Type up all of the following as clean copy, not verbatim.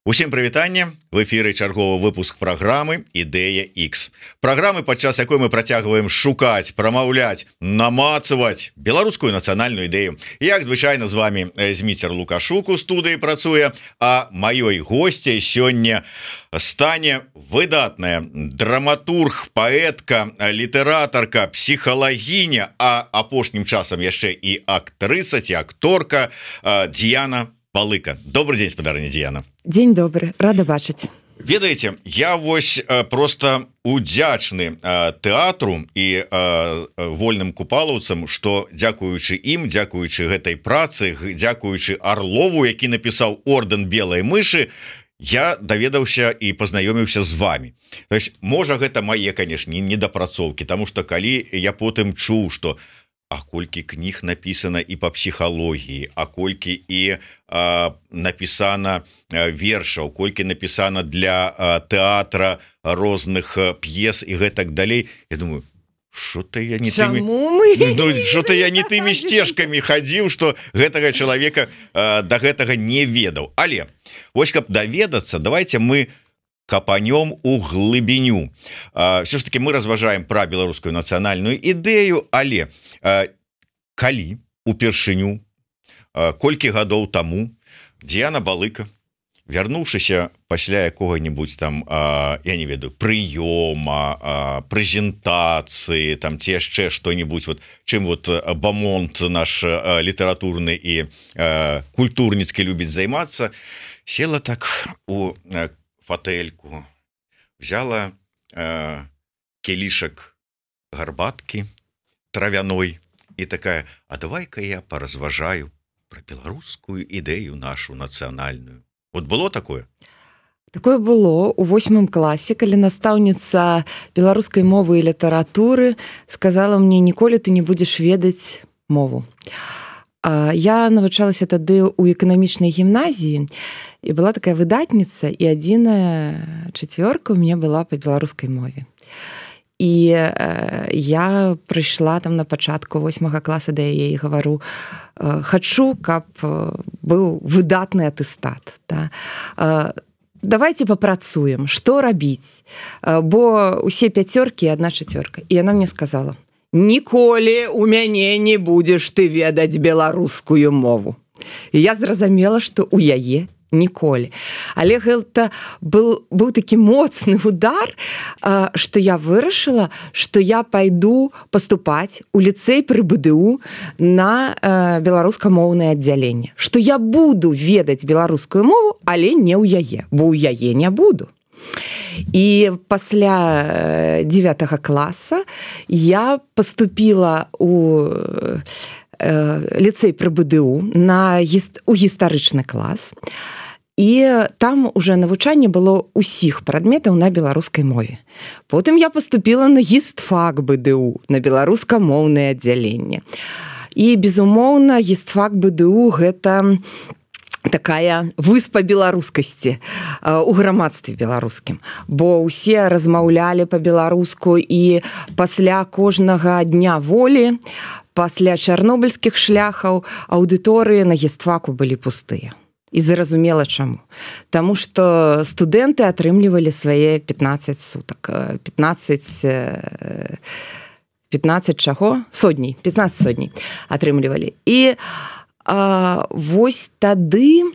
Усім прывітанне, в эфіры чарговы выпуск праграмы Ідэя X. Праграмы, падчас якой мы працягваем шукаць, прамаўляць, намацаваць беларускую нацыянальную ідэю. Як звычайна з вами Зміцер Лукашук у студыі працуе, а маёй госцяй сёння стане выдатная драматург, паэтка, літаратарка, псіхалагіня, а апошнім часам яшчэ і актрыса ці акторка Діяна Балыка. Добрый день, спадарыня Діяна. Дзень добры, рада бачыць. Ведаеце, я вось просто удзячны тэатру і вольным купалаўцам, што дзякуючы ім, дзякуючы гэтай працы, дзякуючы Арлову, які напісаў ордэн белай мышы, я даведаўся і пазнаёміўся з вами. То есть, можа, гэта мае, канешне, недапрацоўкі, таму што калі я потым чуў, што а колькі кніг напісана і па псіхалогіі, а колькі і напісана вершаў, колькі напісана для тэатра розных п'ес і гэтак далей, я думаю, что-то я не тымі сцежкамі хадзіў, што гэтага чалавека да гэтага не ведаў. Але вось каб даведацца, давайте мы капанём у глыбіню. Все ж таки мы разважаем пра беларускую нацыянальную ідэю, але калі упершыню, колькі гадоў таму Діяна Балыка, вярнуўшыся пасля якога-нибудь там, я не ведаю, прыёма, прэзентацыі, там ці яшчэ што-нибудь, вот, чым вот бамонт наш літаратурны і культурніцкі любіць займацца, села так у фатэльку, взяла келішак гарбаткі травяной і такая, а давай-ка я паразважаю про беларускую ідэю нашу нацыянальную. Вот было такое? Такое было у 8 класе, калі настаўніца беларускай мовы і літаратуры сказала мне, ніколі ты не будзеш ведаць мову. Я навучалася тады ў эканамічнай гімназіі, і была такая выдатніца, і адзіная чацвёрка ў мяне была па беларускай мове. І я прыйшла там на пачатку 8 класа да яе і гавару, хачу, каб быў выдатны атэстат. Да? Давайте папрацуем, што рабіць, бо усе 5 і 1 4. І яна мне сказала, ніколі у мяне не будзеш ты ведаць беларускую мову. І я зразумела, што у яе ніколі. Але гэта быў такі моцны удар, што я вырашыла, што я пайду паступаць у ліцэй пры БДУ на беларускамоўнае аддзяленне. Што я буду ведаць беларускую мову, але не ў яе, бо ў яе не буду. І пасля 9 класа я паступіла у ліцэй пры БДУ у гістарычны клас. І там уже навучанне было ўсіх прадметаў на беларускай мове. Потым я паступіла на гістфак БДУ, на беларускамоўнае аддзяленне. І, безумоўна, гістфак БДУ гэта такая выспа беларускасці у грамадстве беларускім, бо ўсе размаўлялі па-беларуску, і пасля кожнага дня волі, пасля чарнобыльскіх шляхаў, аўдыторыі на гістфаку былі пустыя. І зразумела чаму. Таму што студэнты атрымлівалі свае 15 сутак. 15 чаго? Сотней. 15 сотней атрымлівалі. І вось тады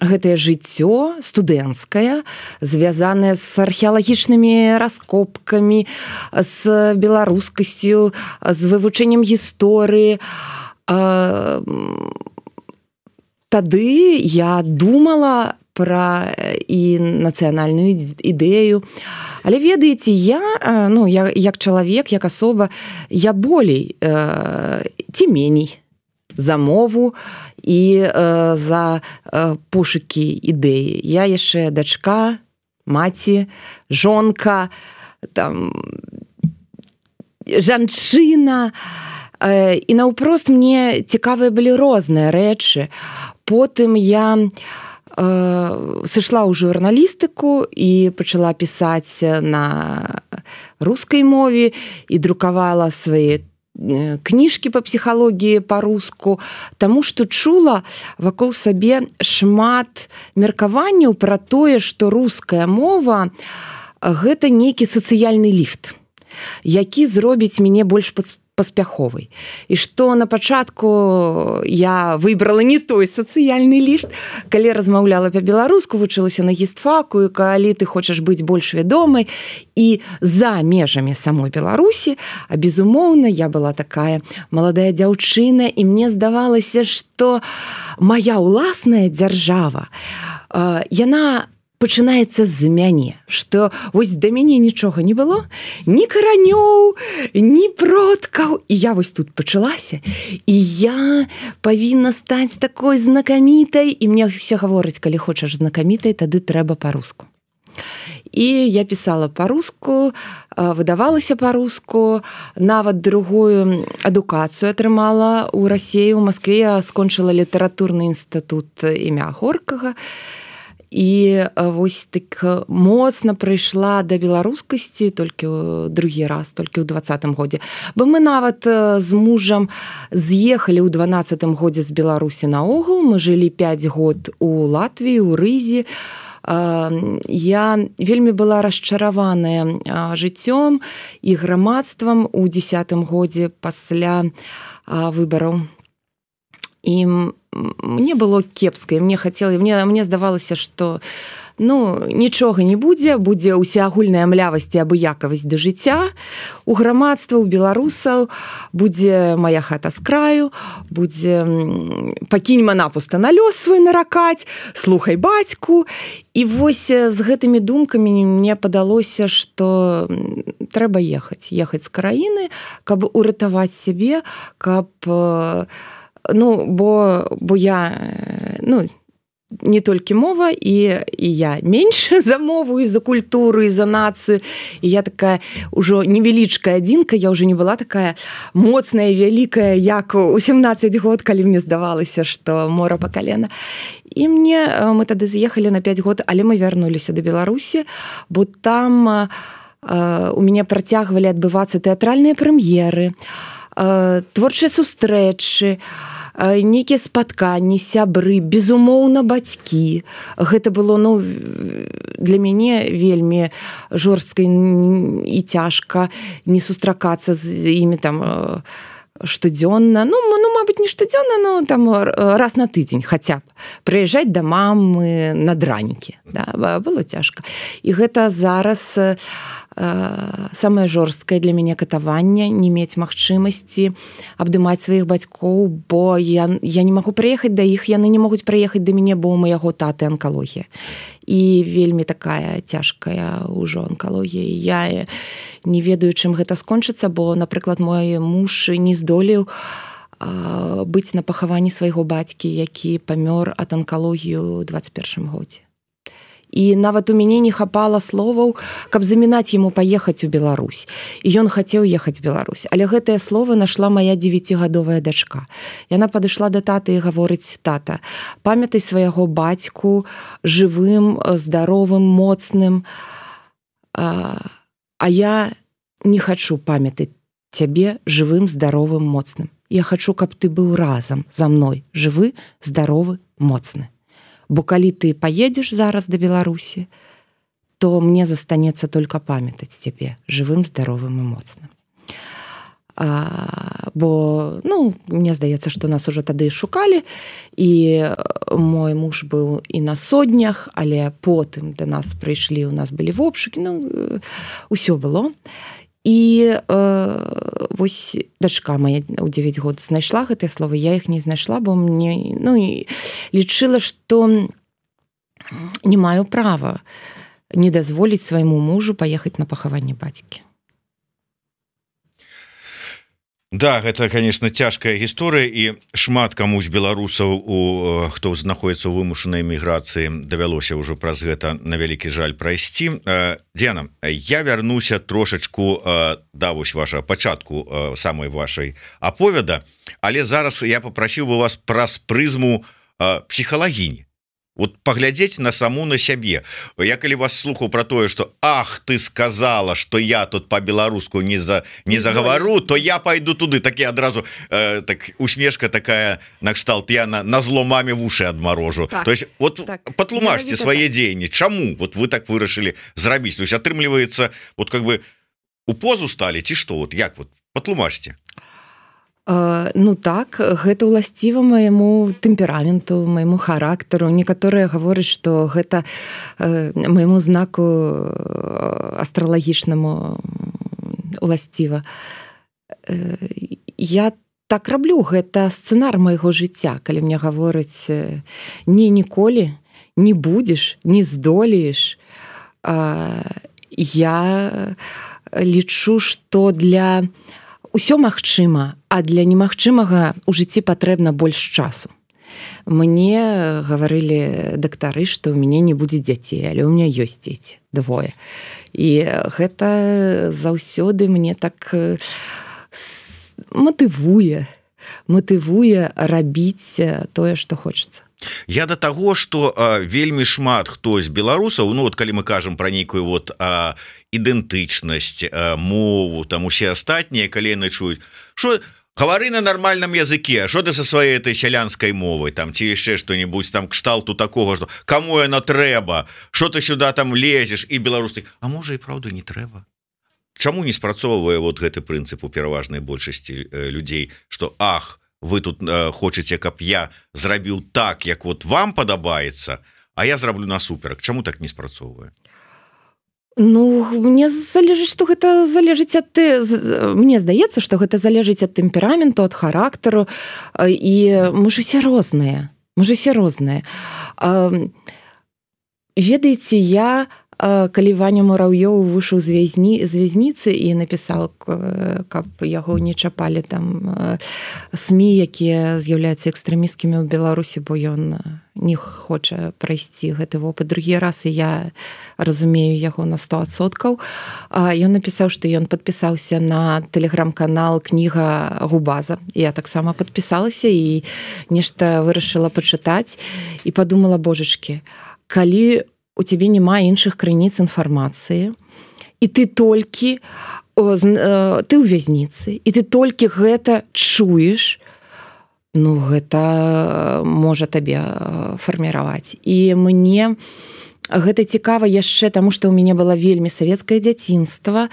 гэтае жыццё студэнцкае, звязанае з археалагічнымі раскопкамі, з беларускасцю, з вывучэннем гісторыі, тады я думала пра і нацыянальную ідэю. Але ведаеце, я як чалавек, як асоба, я болей ці меней за мову і за пошукі ідэі. Я яшчэ дачка, маці, жонка, там, жанчына. І наўпрост мне цікавыя былі розныя рэчы. Потым я сышла ў журналістыку і пачала пісаць на рускай мове і друкавала свае кніжкі па псіхалогіі па-руску, таму што чула вакол сабе шмат меркаванняў пра тое, што руская мова гэта нейкі сацыяльны ліфт, які зробіць мяне больш паспяховай. І што на пачатку я выбрала не той сацыяльны ліфт, калі размаўляла па-беларуску, вучылася на гістфаку, і калі ты хочаш быць больш вядомай і за межамі самой Беларусі, а безумоўна, я была такая маладая дзяўчына, і мне здавалася, што мая ўласная дзяржава, яна пачынаецца з мяне, што вось да мяне нічога не было, ні каранёў, ні продкаў, і я вось тут пачалася, і я павінна стаць такой знакамітай, і мне все гавораць, калі хочаш знакамітай, тады трэба па-руску. І я пісала па-руску, выдавалася па-руску, нават другую адукацыю атрымала ў Расіі, у Маскве я скончыла літаратурны інстытут імя Горкага, і вось так моцна прыйшла да беларускасці толькі другі раз, толькі ў 20-м годзе. Бо мы нават з мужам з'ехалі ў 12-м годзе з Беларусі наогул, мы жылі 5 год у Латвіі, у Рызе. Я вельмі была расчараваная жыццём і грамадствам у 10-м годзе пасля выбараў. І мне было кепска, і мне здавалася, што нічога не будзе ўсеагульная млявасць і абыякавасць да жыцця, у грамадства, у беларусаў будзе моя хата з краю, будзе пакінь манапуста на лёс свой наракаць, слухай бацьку. І вось з гэтымі думкамі мне падалося, што трэба ехаць з краіны, каб уратаваць сябе, каб бо я не толькі мова, і я менш за мову, і за культуру, і за нацыю. І я такая ўжо невялічкая адзінка, я ўжо не была такая моцная, вялікая, як у 17 год, калі мне здавалася, што мора па калена. І мы тады з'ехалі на 5 год, але мы вярнуліся да Беларусі, бо там у мяне працягвалі адбывацца тэатральныя прэм'еры, творчыя сустрэчы, нейкія спатканні, сябры, безумоўна, бацькі. Гэта было, для мяне вельмі жорстка і цяжка не сустракацца з імі там штодзённа. Мабыць, не штодзённа, но там раз на тыдзень хаця б. Прыязджаць да мамы над ранікі. Да, было цяжка. І гэта зараз самае жорсткае для мяне катаванне, не мець магчымасці абдымаць сваіх бацькоў, бо я не магу прыехаць да іх, яны не могуць прыехаць да мяне, бо ў майго таты анкалогія. І вельмі такая цяжкая ўжо анкалогія. Я не ведаю, чым гэта скончыцца, бо, напрыклад, мой муж не здолеў быць на пахаванні свайго бацькі, які памёр ад анкалогіі ў 21 годзе. І нават у мяне не хапала словаў, каб замінаць яму паехаць у Беларусь. І ён хацеў ехаць у Беларусь. Але гэтае слово нашла моя 9гадовая дачка. Яна падышла да таты і гаворыць: тата, памятай свайго бацьку жывым, здаровым, моцным. А я не хачу памятаць цябе жывым, здаровым, моцным. Я хачу, каб ты быў разам за мной, жывы, здаровы, моцны. Бо калі ты паедзеш зараз да Беларусі, то мне застанецца толькі памятаць цябе жывым, здаровым і моцным. Бо, мне здаецца, што нас ужо тады шукалі, і мой муж быў і на соднях, але потым да нас прыйшлі, у нас былі вобшукі, усё было. І вось дачка моя ў 9 год знайшла гэтыя словы, я іх не знайшла, бо мне лічыла, што не маю права не дазволіць свайму мужу паехаць на пахаванне бацькі. Да, гэта, конечно, цяжкая гісторыя, і шмат каму з беларусаў, хто знаходіцца ў вымушанай эміграцыі, давялося ўжо праз гэта, на вялікі жаль, прайсці. Дзяна, я вярнуся трошачку да вось вашага пачатку самай вашай аповеда, але зараз я попрасіў бы вас праз прызму псіхалагіні. вот паглядзець на саму на сябе. Я калі вас слухаў про тое, что ах, ты сказала, что я тут по-беларуску не заговору, то я пойду туды. Так я адразу так усмешка такая накшталт, я на зло маме в уши адмарожу. Так, то есть вот так, патлумачьте свае дзеянні. Чаму вот вы так вырашылі зрабіць? То есть атрымліваецца вот как бы у позу стали ці што? Вот як вот патлумачьте. Ну так, гэта ўласціва майму тэмпераменту, майму характару. Некаторыя гавораць, што гэта майму знаку астралагічнаму уласціва. Я так раблю, гэта сцэнар майго жыцця, калі мне гавораць не ніколі, не будзеш, не здолееш. Я лічу, што для усё магчыма, а для немагчымага ў жыцці патрэбна больш часу. Мне гаварылі дактары, што ў мяне не будзе дзяцей, але ў мяне ёсць дзеці, 2. І гэта заўсёды мне так матывуе рабіць тое, што хочацца. Я до таго, што вельмі шмат хто з беларусаў, ну вот калі мы кажам пра нейкую вот ідэнтычнасць, мову, там усе астатнія, калі яны чуюць, што гавары на нармальным языке, што ты са сваёй этой сялянскай мовай, там ці яшчэ што-небудзь там кшталту такога, што каму яна трэба, што ты сюда там лезеш, і беларус, а можа і праўда не трэба. Чаму не спрацоўвае вот гэты прынцып у пераважнай большасці людзей, што ах, вы тут хочаце, каб я зрабіў так, як вот вам падабаецца, а я зраблю насуперак. Чаму так не спрацоўвае? Ну, мне залежыць, што гэта залежыць ад мне здаецца, што гэта залежыць ад тэмпераменту, ад характару, і мы ж усе розныя. Ведаеце, я калі Ваня Мураўёў выйшаў з вязніцы і напісаў, каб яго не чапалі там СМІ, якія з'яўляюцца экстрэмісткімі ў Беларусі, бо ён не хоча прайсці гэты вопыт другі раз, і я разумею яго на 100%. Ён напісаў, што ён падпісаўся на тэлеграм-канал «Кніга Губаза». Я таксама падпісалася і нешта вырашыла пачытаць і падумала, божачкі, калі у цябе няма іншых крыніц інфармацыі, і ты толькі ты ў вязніцы, і ты толькі гэта чуеш, ну гэта можа табе фарміраваць. І мне гэта цікава яшчэ, таму што ў мяне было вельмі савецкае дзяцінства,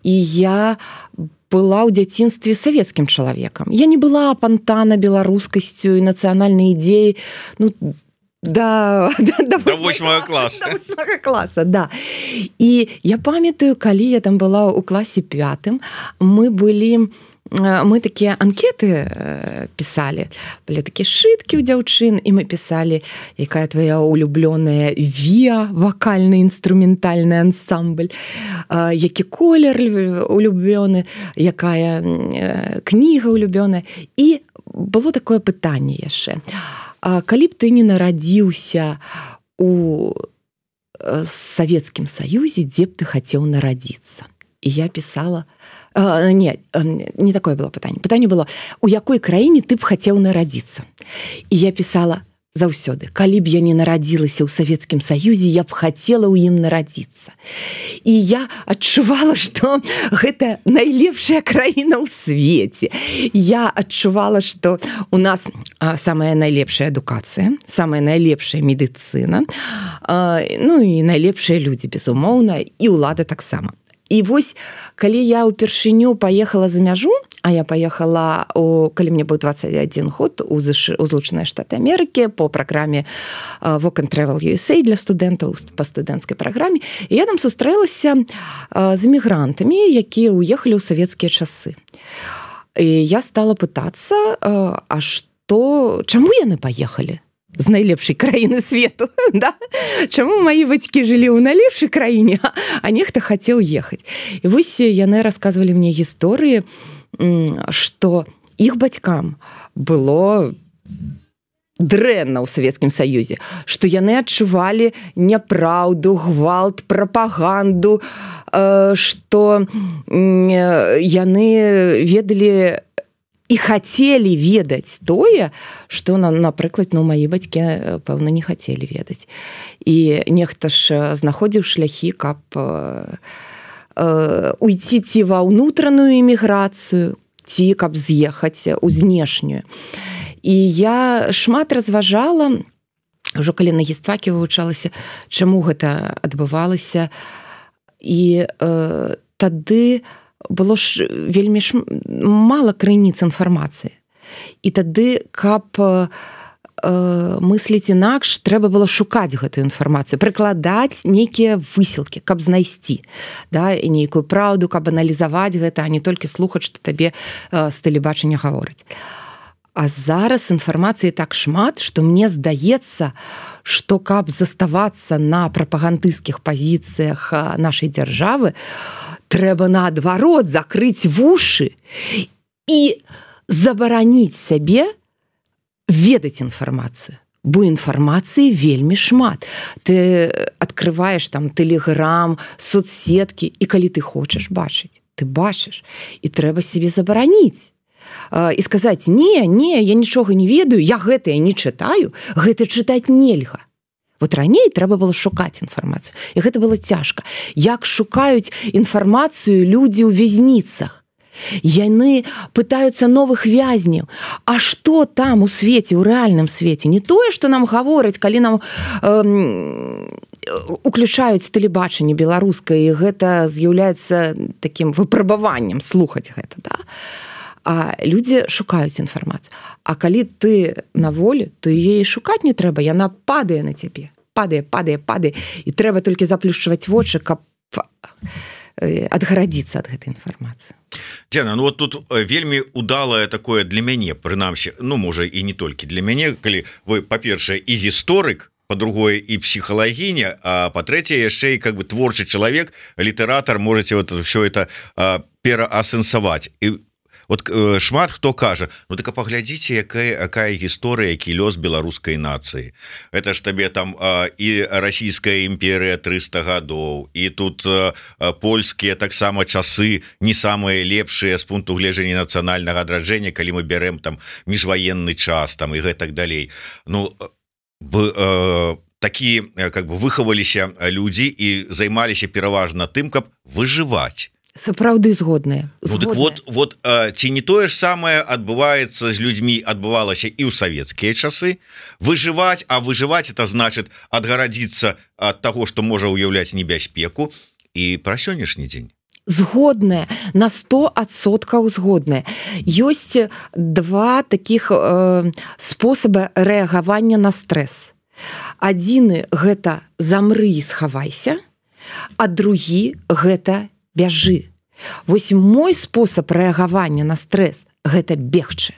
і я была ў дзяцінстве савецкім чалавекам. Я не была апантана беларускасцю і нацыянальнай ідеяй, ну, до 8 класса. До 8 класса, да. І я памятаю, калі я там была ў класе 5, мы такія анкеты пісалі, былі такія шыткі ў дзяўчын, і мы пісалі, якая твоя улюблёная ВІА, вакальна-інструментальны ансамбль, які колер улюблёны, якая кніга улюблёная. І было такое пытанне яшчэ. Калі б ты не нарадзіўся у Савецкім Саюзе, дзе б ты хацеў нарадзіцца? І я пісала... Не такое было пытанне. Пытанне было, у якой краіне ты б хацеў нарадзіцца? І я пісала заўсёды, калі б я не нарадзілася ў Савецкім Саюзе, я б хацела ў ім нарадзіцца. І я адчувала, што гэта найлепшая краіна ў свеце. Я адчувала, што у нас самая найлепшая адукацыя, самая найлепшая медыцына, ну і найлепшыя людзі, безумоўна, і ўлада таксама. І вось, калі я ўпершыню паехала за мяжу, а я паехала, калі мне быў 21 год, у Злучаныя Штаты Амерыкі по праграме Work and Travel USA для студэнтаў па студэнцкай праграме, і я там сустрэлася з эмігрантамі, якія ўехалі ў савецкія часы. І я стала пытацца, а што, чаму яны паехалі з найлепшай краіны свету, да? Чаму маі бацькі жылі ў найлепшай краіне, а нехта хацеў ехаць. І вось яны расказвалі мне гісторыі, што іх бацькам было дрэнна ў Савецкім Саюзе, што яны адчувалі няпраўду, гвалт, прапаганду, што яны ведалі і хацелі ведаць тое, што, напрыклад, мае бацькі, пэўна, не хацелі ведаць. І нехта ж знаходзіў шляхі, каб уйти ці ва ўнутраную эміграцыю, ці каб з'ехаць у знешнюю. І я шмат разважала, ўжо калі на гістфаке вывучалася, чаму гэта адбывалася. І тады было ж вельмі мала крыніц інфармацыі. І тады, каб мысліць інакш, трэба было шукаць гэтую інфармацыю, прыкладаць нейкія высілкі, каб знайсці, да, і нейкую праўду, каб аналізаваць гэта, а не толькі слухаць, што табе з тэлебачання гавораць. А зараз інфармацыі так шмат, што мне здаецца, што каб заставацца на прапагандысцкіх пазіцыях нашай дзяржавы, трэба наадварот закрыць вушы і забараніць сябе ведаць інфармацыю. Бо інфармацыі вельмі шмат. Ты адкрываеш там тэлеграм, соцсеткі, і калі ты хочаш бачыць, ты бачыш. І трэба сябе забараніць. І сказаць, не, я нічога не ведаю, я гэтае не чытаю, гэта чытаць нельга. Вот раней трэба было шукаць інфармацыю. І гэта было цяжка. Як шукаюць інфармацыю людзі ў вязніцах? Яны пытаюцца новых вязняў. А што там у свеце, у рэальным свеце? Не тое, што нам гавораць, калі нам уключаюць тэлебачанне беларускае, і гэта з'яўляецца такім выпрабаваннем слухаць гэта, да? А людзі шукаюць інфармацыю. А калі ты на волі, то яе шукаць не трэба, яна падае на цябе. Падае. І трэба толькі заплюшчваць вочы, каб адгарадзіцца ад гэтай інфармацыі. Дзяна, вот тут вельмі удалае такое для мяне, прынамсі, можа і не толькі для мяне, калі вы, па-першае, і гісторык, по-другое, і псіхалагіня, а па-трэцяе, яшчэ і творчы чалавек, літаратар, можаце все это пераасэнсаваць. І вот шмат хто кажа, так паглядзіце, якая гісторыя, які лёс беларускай нацыі. Это ж табе там і расійская імперыя 300 гадоў, і тут польскія таксама часы не самыя лепшыя з пункту гледжання нацыянальнага адраджэння, калі мы бярэм там міжваенны час там і гэтак далей. Такі выхаваліся людзі і займаліся пераважна тым, каб выжываць. Сапраўды згодныя. Так вот, ці не тое ж самае адбываецца з людзьмі, адбывалася і ў савецкія часы. Выжываць, а выжываць это значыць адгарадзіцца ад таго, што можа ўяўляць небяспеку, і пра сённяшні дзень. Згодная, на 100% згодная. Ёсць два такіх спосаба рэагавання на стрэс. Адзіны гэта замры і схавайся, а другі гэта бяжы. Вось мой спосаб рэагавання на стрэс гэта бегчы.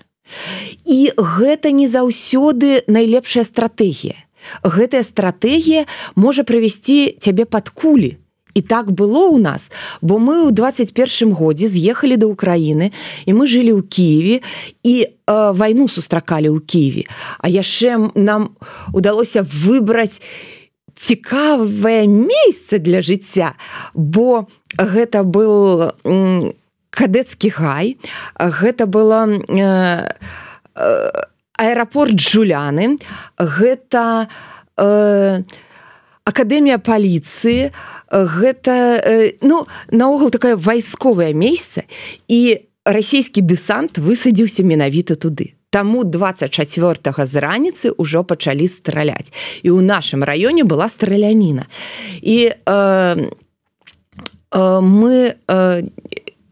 І гэта не заўсёды найлепшая стратэгія. Гэтая стратэгія можа прывесці цябе пад кулі. І так было ў нас, бо мы ў 21 годзе з'ехалі да Украіны, і мы жылі ў Кіеве, і вайну сустракалі ў Кіеве. А яшчэ нам удалося выбраць цікавае месца для жыцця, бо гэта был кадэцкі гай, гэта была аэрапорт Джуляны, гэта акадэмія паліцыі, гэта наогул такое вайсковае месца, і расійскі дэсант высадзіўся менавіта туды. Таму 24-го з раніцы ўжо пачалі страляць. І ў нашым раёне была страляніна. І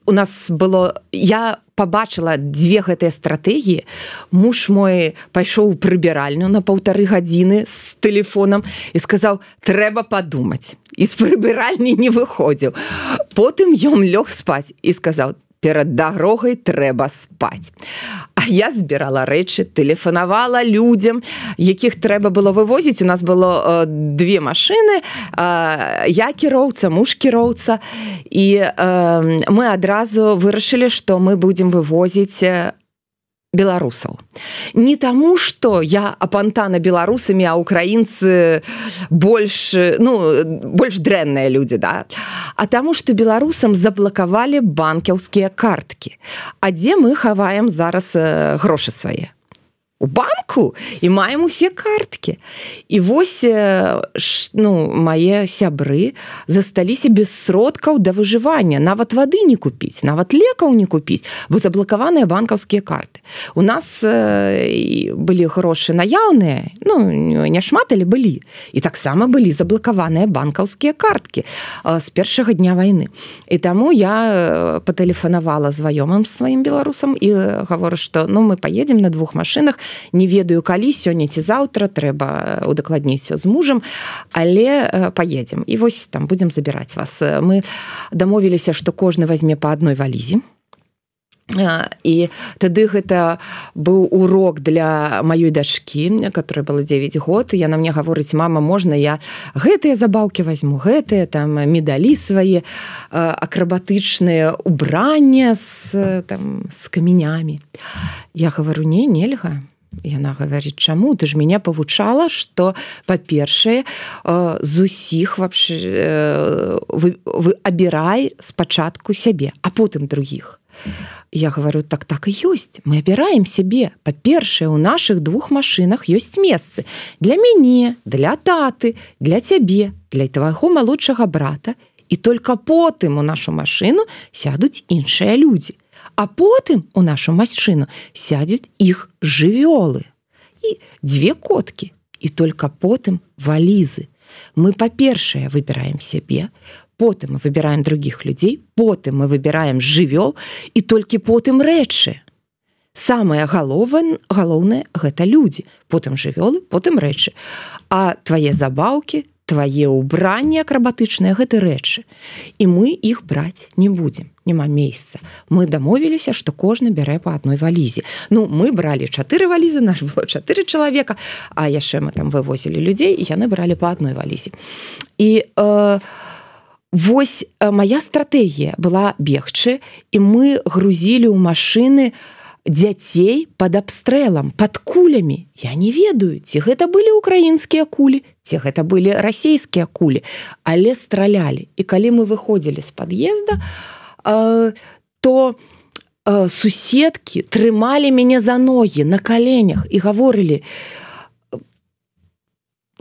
у нас было... Я пабачыла дзве гэтыя стратэгіі. Муж мой пайшоў у прыбіральню на 1,5 гадзіны з тэлефонам і сказаў, трэба падумаць. І з прыбіральні не выходзіў. Потым ён лёг спаць і сказаў, перад дарогай трэба спаць. А я збірала рэчы, тэлефанавала людзям, якіх трэба было вывозіць. У нас было 2 машыны, я кіроўца, муж кіроўца, і мы адразу вырашылі, што мы будзем вывозіць беларусаў. Не таму, што я апантана беларусамі, а украінцы больш дрэнныя людзі, да? А таму, што беларусам заблакавалі банкаўскія карткі. А дзе мы хаваем зараз грошы свае? У банку і маем усе карткі. І вось мае сябры засталіся без сродкаў да выжывання. Нават вады не купіць, нават лекаў не купіць, бо заблакаваныя банкаўскія карты. У нас былі грошы наяўныя, не шмат, але былі. І таксама былі заблакаваныя банкаўскія карткі з першага дня вайны. І таму я патэлефанавала знаёмым сваім беларусам і гавору, што мы паедзем на 2 машынах, не ведаю калі, сёння ці заўтра, трэба удакладніць всё з мужам, але паедзем. І вось там будзем забіраць вас. Мы дамовіліся, што кожны вазьме па адной валізе. І тады гэта быў урок для маёй дачкі, которая была 9 год. Яна мне гаворыць: мама, можна я гэтыя забаўкі возьму, гэтыя там медалі свае, акрабатычныя убрання з каменямі. Я гавару: нельга. Яна гаворыць: чаму? Ты ж мяне павучала, што, па-першае, з усіх абірай спачатку сябе, а потым другіх. Я говорю: так і ёсць. Мы абіраем сябе. Па-першае, у нашых 2 машынах ёсць месцы для мяне, для таты, для цябе, для твайго малодшага брата. І толькі потым у нашу машыну сядуць іншыя людзі. А потым у нашу машыну сядуць іх жывёлы. І 2 коткі. І толькі потым валізы. Мы, па-першае, выбіраем сябе, потым мы выбіраем другіх людзей, потым мы выбіраем жывёл і толькі потым рэчы. Самае галоўнае – гэта людзі. Потым жывёлы, потым рэчы. А твае забаўкі, твае ўбранні акрабатычныя – гэта рэчы. І мы іх браць не будзем. Няма месца. Мы дамовіліся, што кожны бярэ па адной валізе. Мы бралі 4 валізы, наш было 4 чалавека, а яшчэ мы там вывозілі людзей, і яны бралі па адной валізе. І вось моя стратэгія была бегчы, і мы грузілі ў машыны дзяцей пад абстрэлам, пад кулямі. Я не ведаю, ці гэта былі украінскія кулі, ці гэта былі расійскія кулі, але стралялі. І калі мы выходзілі з пад'езда, то суседкі трымалі мяне за ногі на каленях і гаворылі: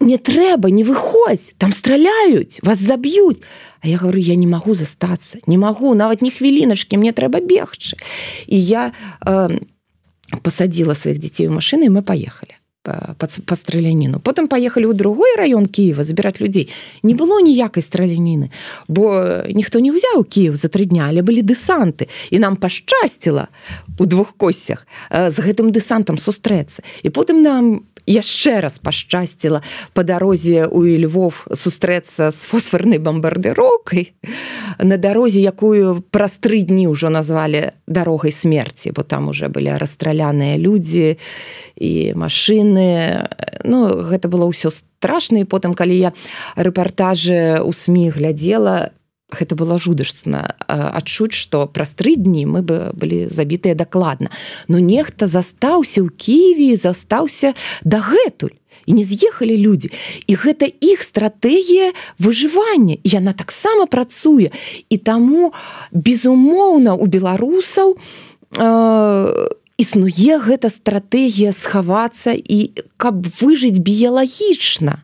не трэба, не выходзь, там страляюць, вас заб'юць. А я говорю: я не магу застацца, не магу, нават ні хвіліначкі, мне трэба бегчы. І я пасадзіла сваіх дзяцей у машыны, і мы паехалі па страляніну. Потым паехалі ў другой раён Кіева забіраць людзей. Не было ніякай страляніны, бо ніхто не ўзяў Кіев за 3 дня, але былі дэсанты. І нам пашчасціла у 2 косцях з гэтым дэсантам сустрэцца. І потым нам яшчэ раз пашчасціла па дарозе ў Львов сустрэцца з фосфарнай бамбардыроўкай на дарозе, якую праз 3 дні ўжо назвалі дарогай смерці, бо там уже былі расстраляныя людзі і машыны. Гэта было ўсё страшна. І потым, калі я рэпартажы ў СМІ глядзела, гэта было жудасна адчуць, што праз 3 дні мы былі забітыя дакладна. Нехта застаўся ў Кіеве, застаўся дагэтуль. І не з'ехалі людзі. І гэта іх стратэгія выжывання. І яна таксама працуе. І таму, безумоўна, у беларусаў існуе гэта стратэгія схавацца і каб выжыць біялагічна.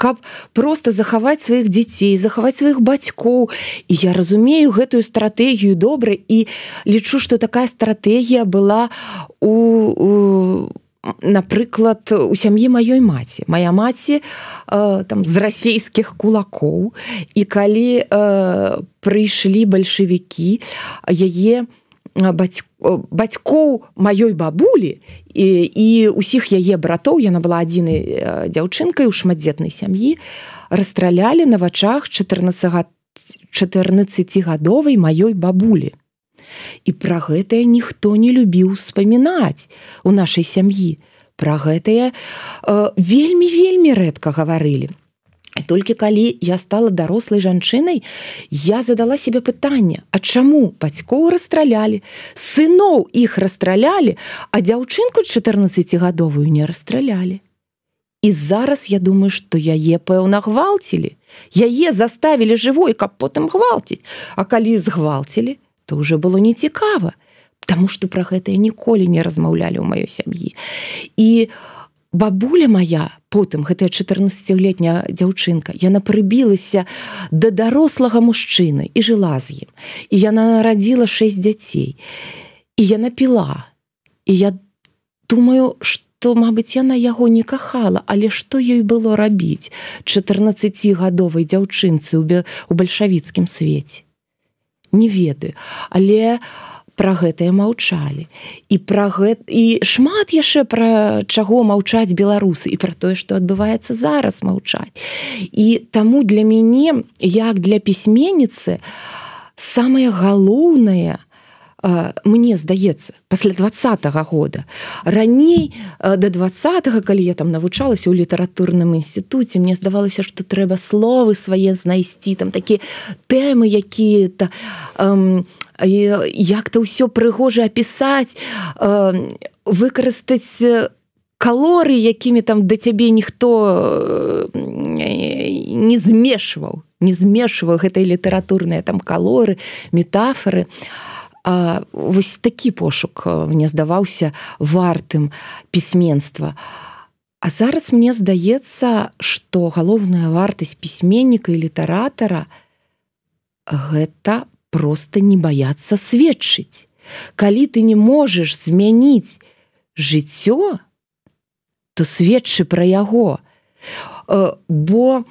Каб проста захаваць сваіх дзяцей, захаваць сваіх бацькоў. І я разумею гэтую стратэгію добра і лічу, што такая стратэгія была напрыклад, у сям'і маёй маці. Мая маці з расійскіх кулакоў, і калі прыйшлі бальшавікі, яе бацькоў маёй бабулі і ўсіх яе братоў, яна была адзінай дзяўчынкай у шматдзетнай сям'і, расстралялі на вачах 14-гадовай маёй бабулі. І пра гэтае ніхто не любіў успамінаць у нашай сям'і. Пра гэтае вельмі-вельмі рэдка гаварылі. Толькі калі я стала дарослай жанчынай, я задала себе пытанне, а чаму бацькоў расстралялі, сыноў іх расстралялі, а дзяўчынку 14гадовую не расстралялі. І зараз я думаю, што яе, пэўна, гвалцілі. Яе заставілі жывой, каб потым гвалціць. А калі згвалцілі, то ўжо было нецікава, таму што пра гэта ніколі не размаўлялі ў маёй сям'і. І бабуля моя, потым, гэтая 14-летняя дзяўчынка, яна прыбілася да дарослага мужчыны і жыла з ім. І яна нарадзіла 6 дзяцей. І яна піла. І я думаю, што, мабыць, яна яго не кахала, але што ёй было рабіць 14гадовай дзяўчынцы ў бальшавіцкім свеце? Не ведаю. Але пра гэтае маўчалі. І шмат яшчэ пра чаго маўчаць беларусы, і пра тое, што адбываецца зараз, маўчаць. І таму для мяне, як для пісьменніцы, самае галоўнае, мне здаецца, пасля 20-го года. Раней, да 20-го, калі я там навучалася ў літаратурным інстытуце, мне здавалася, што трэба словы свае знайсці, там такія тэмы якія-то, як-то ўсё прыгожа апісаць, выкарыстаць калоры, якімі там да цябе ніхто не змешваў гэтыя літаратурныя там калоры, метафоры. Вось такі пошук мне здаваўся вартым пісьменства. А зараз мне здаецца, што галоўная вартасць пісьменніка і літаратара гэта проста не баяцца сведчыць. Калі ты не можаш змяніць жыццё, то сведчы пра яго. Бо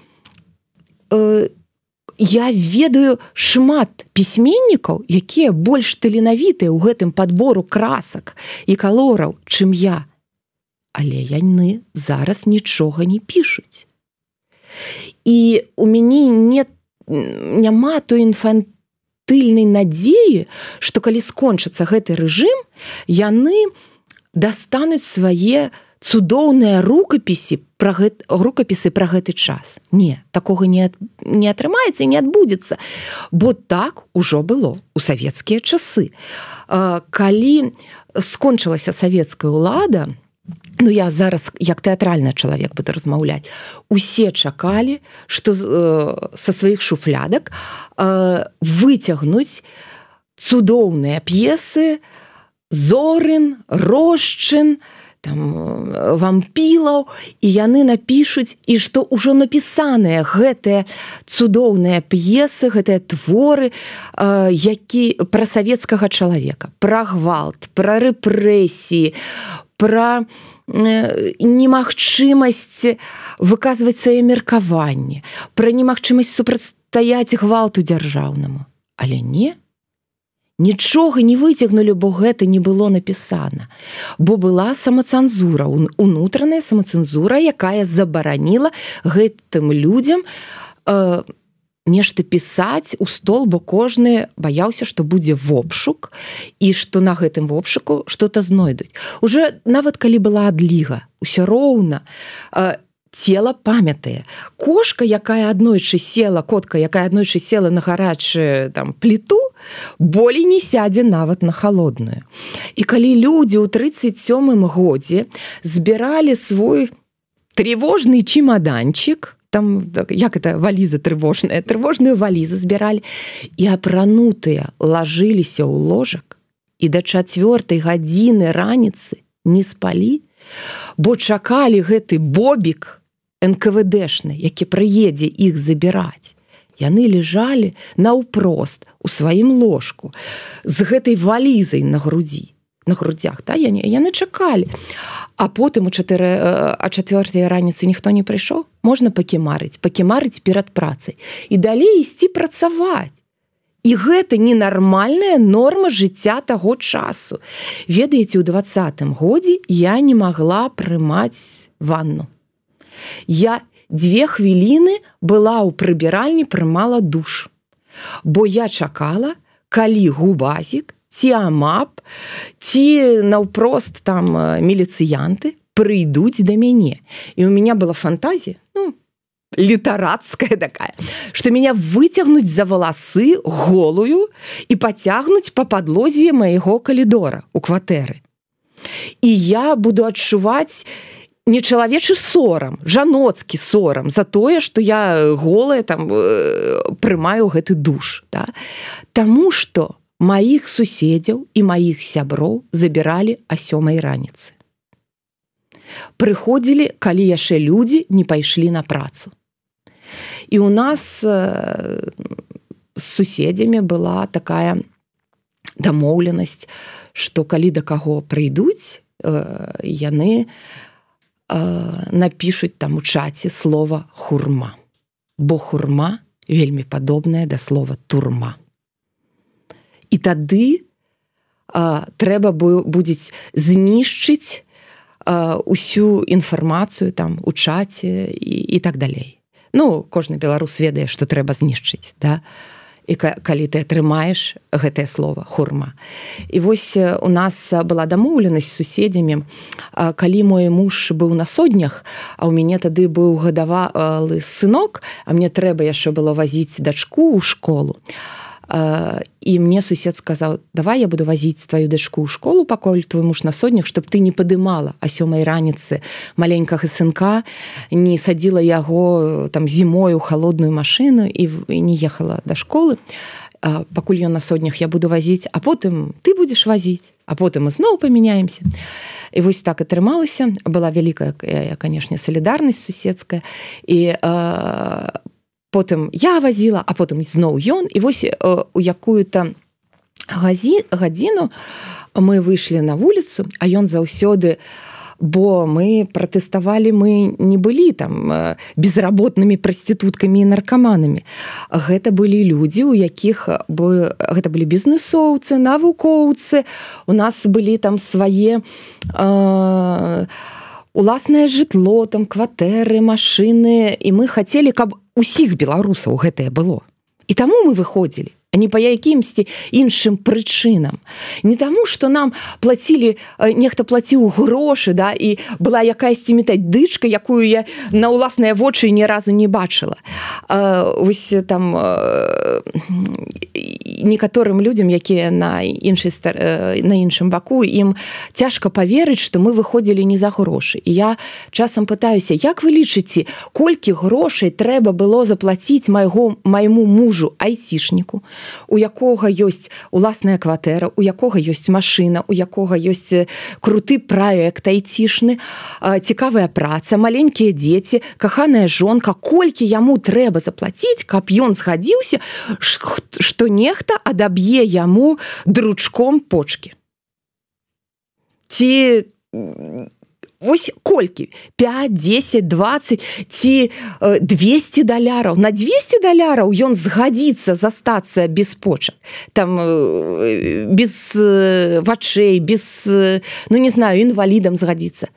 я ведаю шмат пісьменнікаў, якія больш таленавітыя ў гэтым падбору красак і калораў, чым я. Але яны зараз нічога не пішуць. І у мяне няма той інфантыльнай надзеі, што калі скончыцца гэты рэжым, яны дастануць свае цудоўныя рукапісы пра гэты час. Не, такога не атрымаецца і не адбудзецца. Бо так ужо было ў савецкія часы. Калі скончылася савецкая ўлада, ну я зараз як тэатральны чалавек буду размаўляць, усе чакалі, што са сваіх шуфлядак выцягнуць цудоўныя п'есы Зорын, Рожчын, там, Вампілаў, і яны напішуць, і што ўжо напісаныя гэтыя цудоўныя п'есы, гэтыя творы, які пра савецкага чалавека, пра гвалт, пра рэпрэсіі, пра немагчымасць выказваць свае меркаванні, пра немагчымасць супрацьстаяць гвалту дзяржаўнаму. Але не, нічога не выцягнулі, бо гэта не было напісана. Бо была самацэнзура, унутраная самацэнзура, якая забараніла гэтым людзям нешта пісаць у стол, бо кожны баяўся, што будзе вопшук і што на гэтым вопшуку што-то знойдуць. Уже нават калі была адліга, усё роўна цела памятае. Котка, якая аднойчы села на гарачую там пліту, болей не сядзе нават на халодную. І калі людзі ў 37-м годзе збіралі свой трывожны чемаданчик, там, як это, валіза трывожная, трывожную валізу збіралі, і апранутыя лажыліся ў ложак, і да 4 гадзіны раніцы не спалі, бо чакалі гэты бобік НКВДшны, які прыедзе іх забіраць. Яны лежалі наўпрост у сваім ложку з гэтай валізай на грудзях, та? Яны чакалі. А потым о 4 раніцы ніхто не прыйшоў, можна пакімарыць перад працай і далей ісці працаваць. І гэта ненармальная норма жыцця таго часу. Ведаеце, у 20-м годзе я не магла прымаць ванну. Я 2 хвіліны была ў прыбіральні, прымала душ. Бо я чакала, калі губазік, ці амап, ці наўпрост там міліцыянты прыйдуць да мяне. І у меня была фантазія, літаратская такая, что меня выцягнуць за валасы голую і пацягнуць па падлозе майго калідора у кватэры. І я буду адчуваць не чалавечы сорам, жаноцкі сорам за тое, што я голая там прымаю гэты душ. Да? Таму што маіх суседзяў і маіх сяброў забіралі о 7 раніцы. Прыходзілі, калі яшчэ людзі не пайшлі на працу. І у нас з суседзямі была такая дамоўленасць, што калі да каго прыйдуць, яны напішуць там у чаце слова хурма. Бо хурма вельмі падобная да слова турма. І тады трэба будзе знішчыць усю інфармацыю там у чаце і так далей. Ну, кожны беларус ведае, што трэба знішчыць, да? І калі ты атрымаеш гэтае слово хурма. І вось у нас была дамоўленасць з суседзямі, калі мой муж быў на соднях, а ў мяне тады быў гадавалы сынок, а мне трэба яшчэ было вазіць дачку ў школу. І мне сусед сказаў: давай я буду вазіць твою дачку ў школу, пакуль твой муж на соднях, чтоб ты не падымала о 7 раніцы маленькага сынка, не садзіла яго там зімой у холодную машыну і не ехала да школы. Пакуль ён на соднях, я буду вазіць, а потым ты будзеш вазіць, а потым мы зноў памяняемся. І вось так атрымалася. Была вялікая, канешне, салідарнасць суседская. І потым я вазіла, а потым зноў ён. І вось у якую-то гадзіну мы выйшлі на вуліцу, а ён заўсёды, бо мы пратэставалі, мы не былі там безработнымі прастытуткамі і наркаманамі. Гэта былі людзі, у якіх гэта былі бізнэсоўцы, навукоўцы, у нас былі там свае уласнае жытло, там кватэры, машыны, і мы хацелі, каб усіх беларусаў гэтае было. І таму мы выходзілі, а не па якімсьці іншым прычынам. Не таму, што нам плацілі, нехта плаціў грошы, да, і была якаясьці метадычка, якую я на ўласныя вочы ні разу не бачыла. Вось там некаторым людзям, якія на іншым баку, ім цяжка паверыць, што мы выходзілі не за грошы. І я часам пытаюся: як вы лічыце, колькі грошай трэба было заплаціць майму мужу айцішніку, у якога ёсць уласная кватэра, у якога ёсць машына, у якога ёсць круты праект айцішны, цікавая праца, маленькія дзеці, каханая жонка, колькі яму трэба заплаціць, каб ён згадзіўся, што нехта адаб'е яму дручком почкі. Ці вось колькі? 5, 10, 20 ці $200. На $200 ён згадзіцца застацца без почак. Там без вачэй, без, ну не знаю, інвалідам згадзіцца.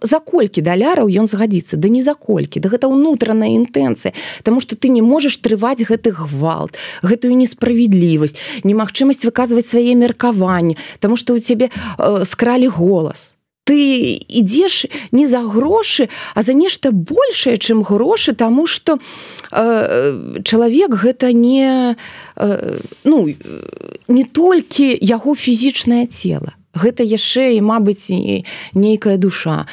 За колькі даляраў ён згадзіцца? Да не за колькі. Да гэта ўнутраная інтэнцыя. Таму што ты не можаш трываць гэты гвалт, гэтую несправедлівасць, немагчымасць выказваць свае меркаванні, таму што ў цябе скралі голас. Ты ідзеш не за грошы, а за нешта большае, чым грошы, таму што чалавек гэта не толькі яго фізічнае цела. Гэта яшчэ і, мабыць, нейкая душа,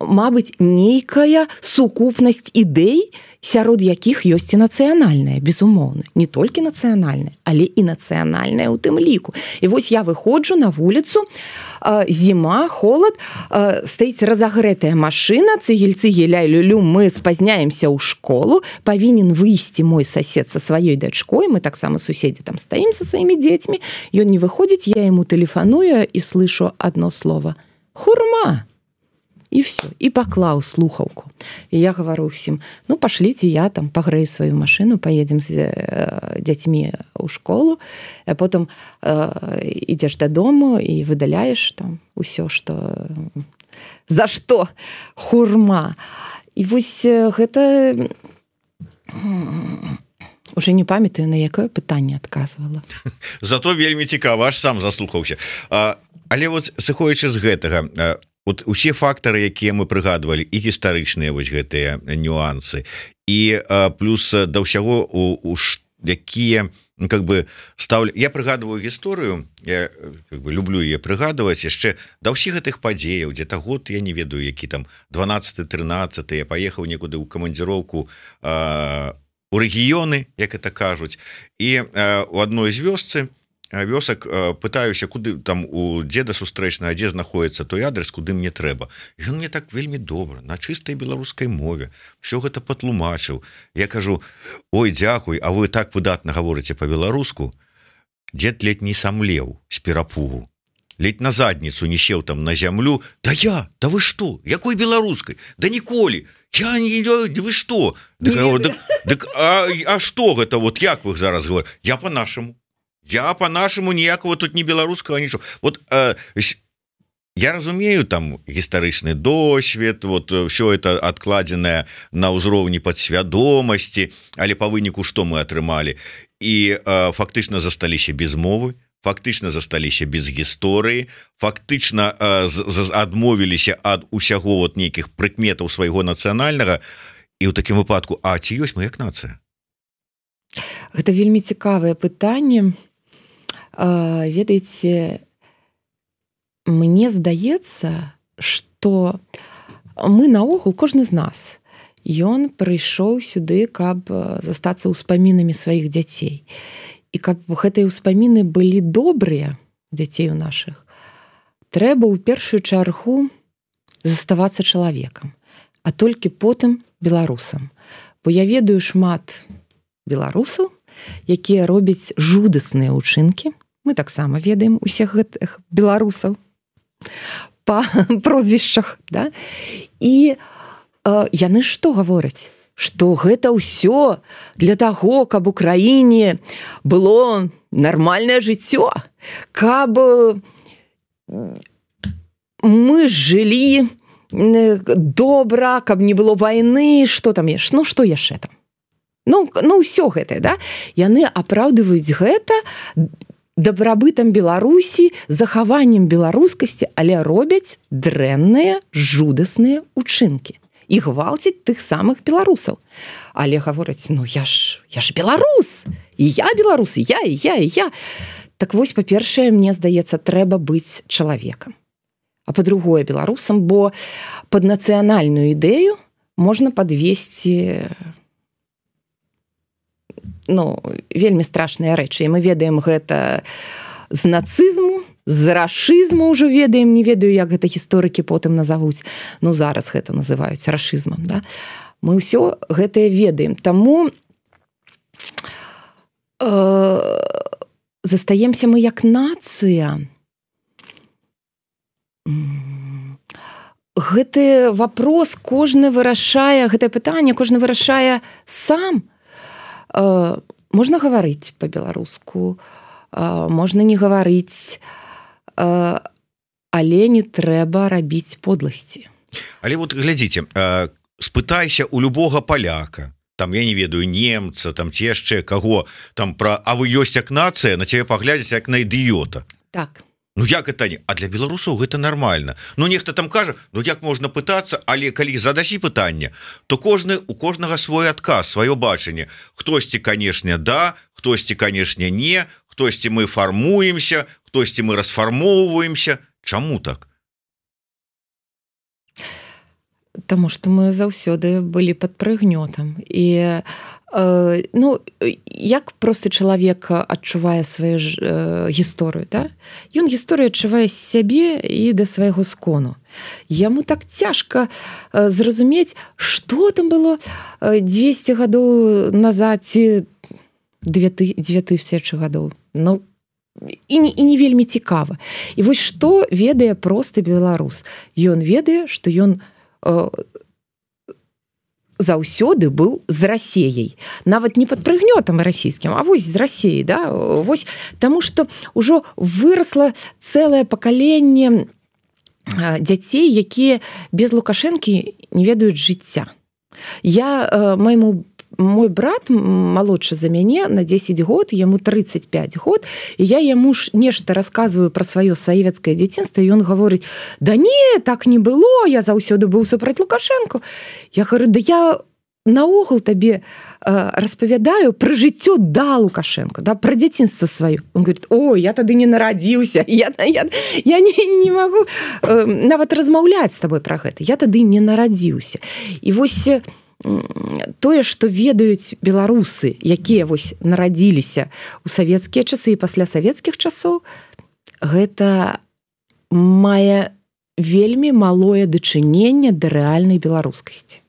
мабыць, нейкая сукупнасць ідэй, сярод якіх ёсць і нацыянальная, безумоўна. Не толькі нацыянальная, але і нацыянальная ў тым ліку. І вось я выходжу на вуліцу, зіма, холад, стаіць разагрэтая машына, цыгель-цыгель, ляй-люлю, мы спазняемся ў школу, павінен выйсці мой сосед са сваёй дачкой, мы таксама суседзі там стаім са сваімі дзецьмі, ён не выходзіць, я яму тэлефаную і слышу одно слово: хурма. І все, і паклаў слухаўку. І я гавару ўсім: ну, пашліце, я там пагрэю сваю машыну, паедзем з дзяцьмі ў школу, а потым ідзеш дадому і выдаляеш там усё, што... За што? Хурма. І вось гэта... Уже не памятаю, на якое пытанне адказвала. Зато вельмі цікава, аж сам заслухаўся. Але вот сыходзячы з гэтага, вот усе фактары, якія мы прыгадвалі, і гістарычныя вось гэтыя нюансы, і плюс да ўсяго якія как бы ставлю, я прыгадываю гісторыю, я как бы люблю яе прыгадваць яшчэ да ўсіх гэтых падзеяў, где-то год, я не ведаю, які там 12-13, я паехаў некуды ў камандзіроўку у рэгіёны, як это кажуць, і у адной з вёсак пытаюся, куды там у дзеда сустрэчнага, дзе знаходіцца той адрес, куды мне трэба. І ён мне так вельмі добра, на чыстай беларускай мове все гэта патлумачыў. Я кажу: ой, дзякуй, а вы так выдатна гаворыце па-беларуску. Дзед ледь не самлеў з перапугу, ледь на задніцу не сеў там на зямлю. Да вы што, якой беларускай? Да ніколі, я не, вы што? А што гэта, вот як вы зараз говорите? Я по-нашаму ніякого тут не беларускага нічого. Вот я разумею там гістарычны досвед, вот все это адкладзенае на ўзроўні падсвядомасці, але па выніку што мы атрымалі? І фактычна засталіся без мовы, фактычна засталіся без гісторыі, фактычна адмовіліся ад усяго вот нейкіх прыкметаў свайго нацыянальнага. І ў такім выпадку, а ці ёсць мы як нацыя? Гэта вельмі цікавае пытанне. Ведаеце, мне здаецца, што мы наогул, кожны з нас, ён прыйшоў сюды, каб застацца ўспамінамі сваіх дзяцей. І каб гэтыя ўспаміны былі добрыя дзяцей у нашых, трэба ў першую чаргу заставацца чалавекам, а толькі потым беларусам. Бо я ведаю шмат беларусаў, якія робяць жудасныя ўчынкі. Мы таксама ведаем усіх гэтых беларусаў па прозвішчах, да? І яны што гавораць? Што гэта ўсё для таго, каб у краіне было нармальнае жыццё, каб мы жылі добра, каб не было вайны, што там яшчэ? Ну, што яшчэ там? Ну, ўсё гэтае, да? Яны апраўдваюць гэта дабрабытам Беларусі, захаваннем беларускасці, але робяць дрэнныя, жудасныя ўчынкі. І гвалцяць тых самых беларусаў. Але гавораць: ну я ж беларус, і я беларус, і я. Так вось, па-першае, мне здаецца, трэба быць чалавекам. А па-другое, беларусам, бо пад нацыянальную ідэю можна падвесці вельмі страшныя рэчы. І мы ведаем гэта з нацызму, з рашызму ўжо ведаем, не ведаю, як гэта гісторыкі потым назавуць. Ну, зараз гэта называюць рашызмам, да? Мы ўсё гэтае ведаем. Таму застаемся мы як нацыя. Гэты вопрос кожны вырашае, гэтае пытанне кожны вырашае сам. Можна гаварыць па-беларуску, можна не гаварыць, але не трэба рабіць подласці. Але вот глядзіце, спытайся у любога паляка, там, я не ведаю, немца, там ці яшчэ каго, там пра «а вы ёсць як нацыя», на цябе паглядзяць як на ідыёта. Так. Ну як это не? А для беларусаў гэта нармальна. Ну нехта там кажа: ну як можна пытацца, але калі задасі пытанне, то у кожнага свой адказ, сваё бачанне. Хтосьці, канешне, да, хтосьці, канешне, не, хтосьці мы фармуемся, хтосьці мы расфармоўваемся. Чаму так? Таму што мы заўсёды былі пад прыгнётам. І як просты чалавек адчувае сваю гісторыю, да? Ён гісторыю адчувае з сябе і да свайго скону. Яму так цяжка зразумець, што там было 200 гадоў назад ці 2000 гадоў. Ну, і не вельмі цікава. І вось што ведае просты беларус? Ён ведае, што ён заўсёды быў з Расеяй. Нават не пад прыгнётам расійскім, а вось з Расеяй, да? Вось, таму што ўжо вырасла цэлае пакаленне дзяцей, якія без Лукашэнкі не ведаюць жыцця. Я майму мой брат малодшы за мяне на 10 год, яму 35 год, і я яму нешта расказваю пра сваё савецкае дзяцінства, і ён гаворыць: да не, так не было, я заўсёды быў супраць Лукашэнку. Я говорю: да я наогул табе распавядаю пра жыццё да Лукашэнка, да, пра дзяцінства сваё. Он говорит: о, я тады не нарадзіўся, я не магу нават размаўляць з табой пра гэта, я тады не нарадзіўся. І вось тое, што ведаюць беларусы, якія вось нарадзіліся ў савецкія часы і пасля савецкіх часоў, гэта мае вельмі малое дачыненне да рэальнай беларускасці,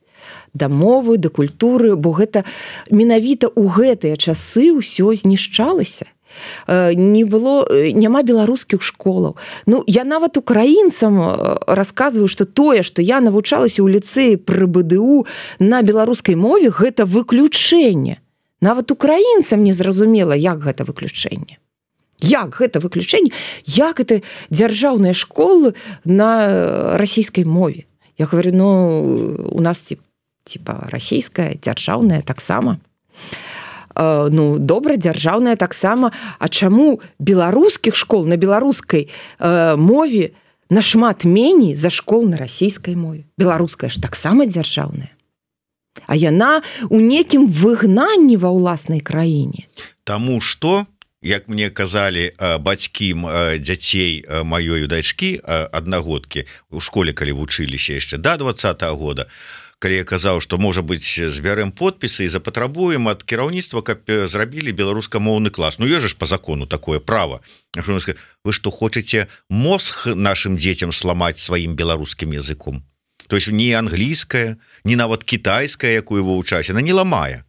да мовы, да культуры, бо гэта менавіта ў гэтыя часы ўсё знішчалася. Няма беларускіх школаў. Ну, я нават украінцам расказваю, што тое, што я навучалася ў ліцэі пры БДУ на беларускай мове, гэта выключэнне. Нават украінцам не зразумела, як гэта выключэнне. Як гэта выключэнне? Як гэта дзяржаўныя школы на расійскай мове? Я говорю, ну, у нас типа расійская, дзяржаўная таксама. Ну, добра, дзяржаўная таксама. А чаму беларускіх школ на беларускай мове нашмат меней за школ на расійскай мове? Беларуская ж таксама дзяржаўная. А яна ў некім выгнанні ва ўласнай краіне. Таму што, як мне казалі бацькі дзяцей маёй дачкі аднагодкі у школе, калі вучыліся яшчэ да 20-го года, калі я казаў, што, можа быць, збярэм подпісы і запатрабуем ад кіраўніцтва, каб зрабілі беларускамоўны клас. Ну, ёсць ж па закону такое права. Вы што, хочаце мозг нашим дзецям сламаць сваім беларускім языком? То есть не англійская, не нават кітайская, якую вы вучаце, она не ламае.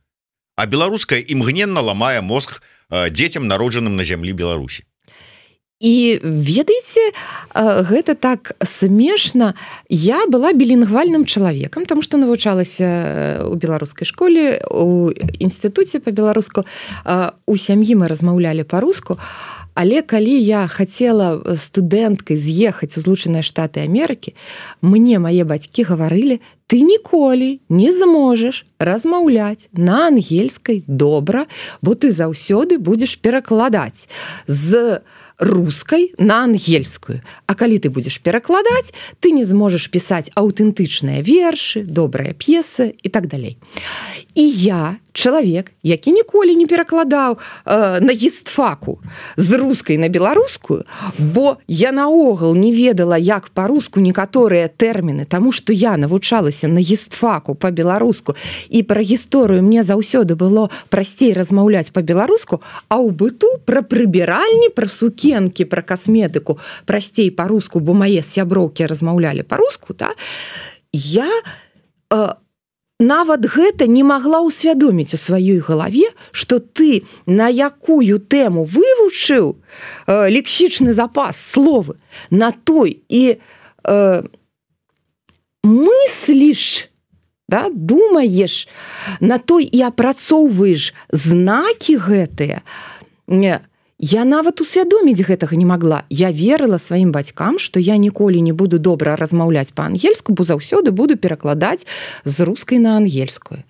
А беларуская імгненна ламае мозг дзецям, народжаным на зямлі Беларусі. І ведаеце, гэта так смешна. Я была білінгвальным чалавекам, таму што навучалася ў беларускай школе, у інстытуце па-беларуску. У сям'і мы размаўлялі па-руску, але калі я хацела студэнткай з'ехаць у Злучаныя Штаты Амерыкі, мне мае бацькі гаварылі: ты ніколі не зможаш размаўляць на ангельскай добра, бо ты заўсёды будзеш перакладаць з рускай на ангельскую. А калі ты будзеш перакладаць, ты не зможаш пісаць аўтэнтычныя вершы, добрыя п'есы і так далей. І я, чалавек, які ніколі не перакладаў на гістфаку з рускай на беларускую, бо я наогул не ведала, як па-руску некаторыя тэрміны, таму што я навучалася на гістфаку па-беларуску, і пра гісторыю мне заўсёды было прасцей размаўляць па-беларуску, а ў быту пра прыбіральні, пра сукенкі, пра касметыку прасцей па-руску, бо мае сяброўкі размаўлялі па-руску, да? Я нават гэта не магла ўсвядоміць у сваёй галаве, што ты на якую тэму вывучыў лексічны запас словы, на той і мысліш, да, думаеш, на той і апрацоўваеш знакі гэтыя. Я нават усвядоміць гэтага не магла. Я верыла сваім бацькам, што я ніколі не буду добра размаўляць па-ангельску, бо заўсёды буду перакладаць з рускай на ангельскую.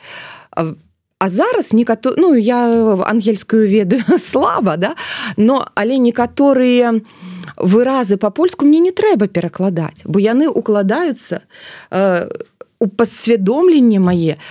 А зараз ну, я ангельскую ведаю слаба, да? Але некаторыя выразы па-польску мне не трэба перакладаць, бо яны укладаюцца у падсвядомленне мае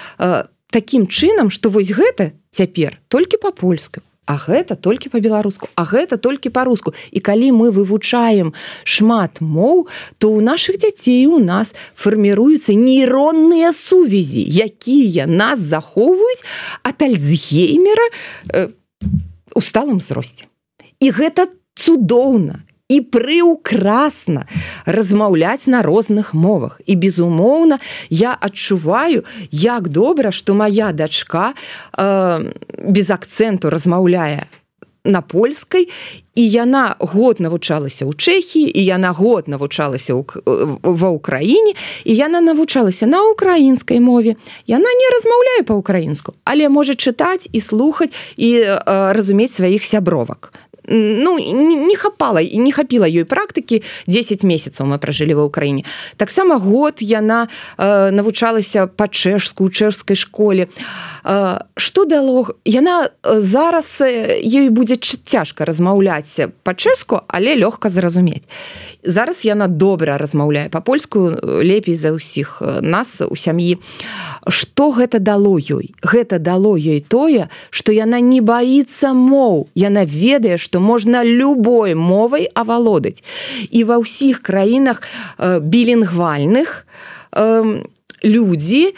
такім чынам, што вось гэта цяпер толькі па-польску. А гэта толькі па-беларуску, а гэта толькі па-руску. І калі мы вывучаем шмат моў, то ў нашых дзяцей у нас фарміруюцца нейронныя сувязі, якія нас захоўваюць ад Альцгеймера ў сталым узросце. І гэта цудоўна і прыўкрасна размаўляць на розных мовах. І, безумоўна, я адчуваю, як добра, што мая дачка без акцэнту размаўляе на польскай, і яна год навучалася ў Чэхіі, і яна год навучалася ва ўкраіне, і яна навучалася на украінскай мове. Яна не размаўляе па-ўкраінску, але можа чытаць і слухаць і разумець сваіх сябровак. не хапіла ёй практыкі. 10 месяцаў мы пражылі ва ўкраіне. Таксама год яна навучалася па-чэшску ў чэшскай школе. Што дало? Яна зараз ёй будзе цяжка размаўляць па-чэшску, але лёгка зразумець. Зараз яна добра размаўляе па-польску, лепей за ўсіх нас у сям'і. Што гэта дало ёй? Гэта дало ёй тое, што яна не баіцца моў. Яна ведае, што можна любой мовай авалодаць. І ва ўсіх краінах білінгвальных людзі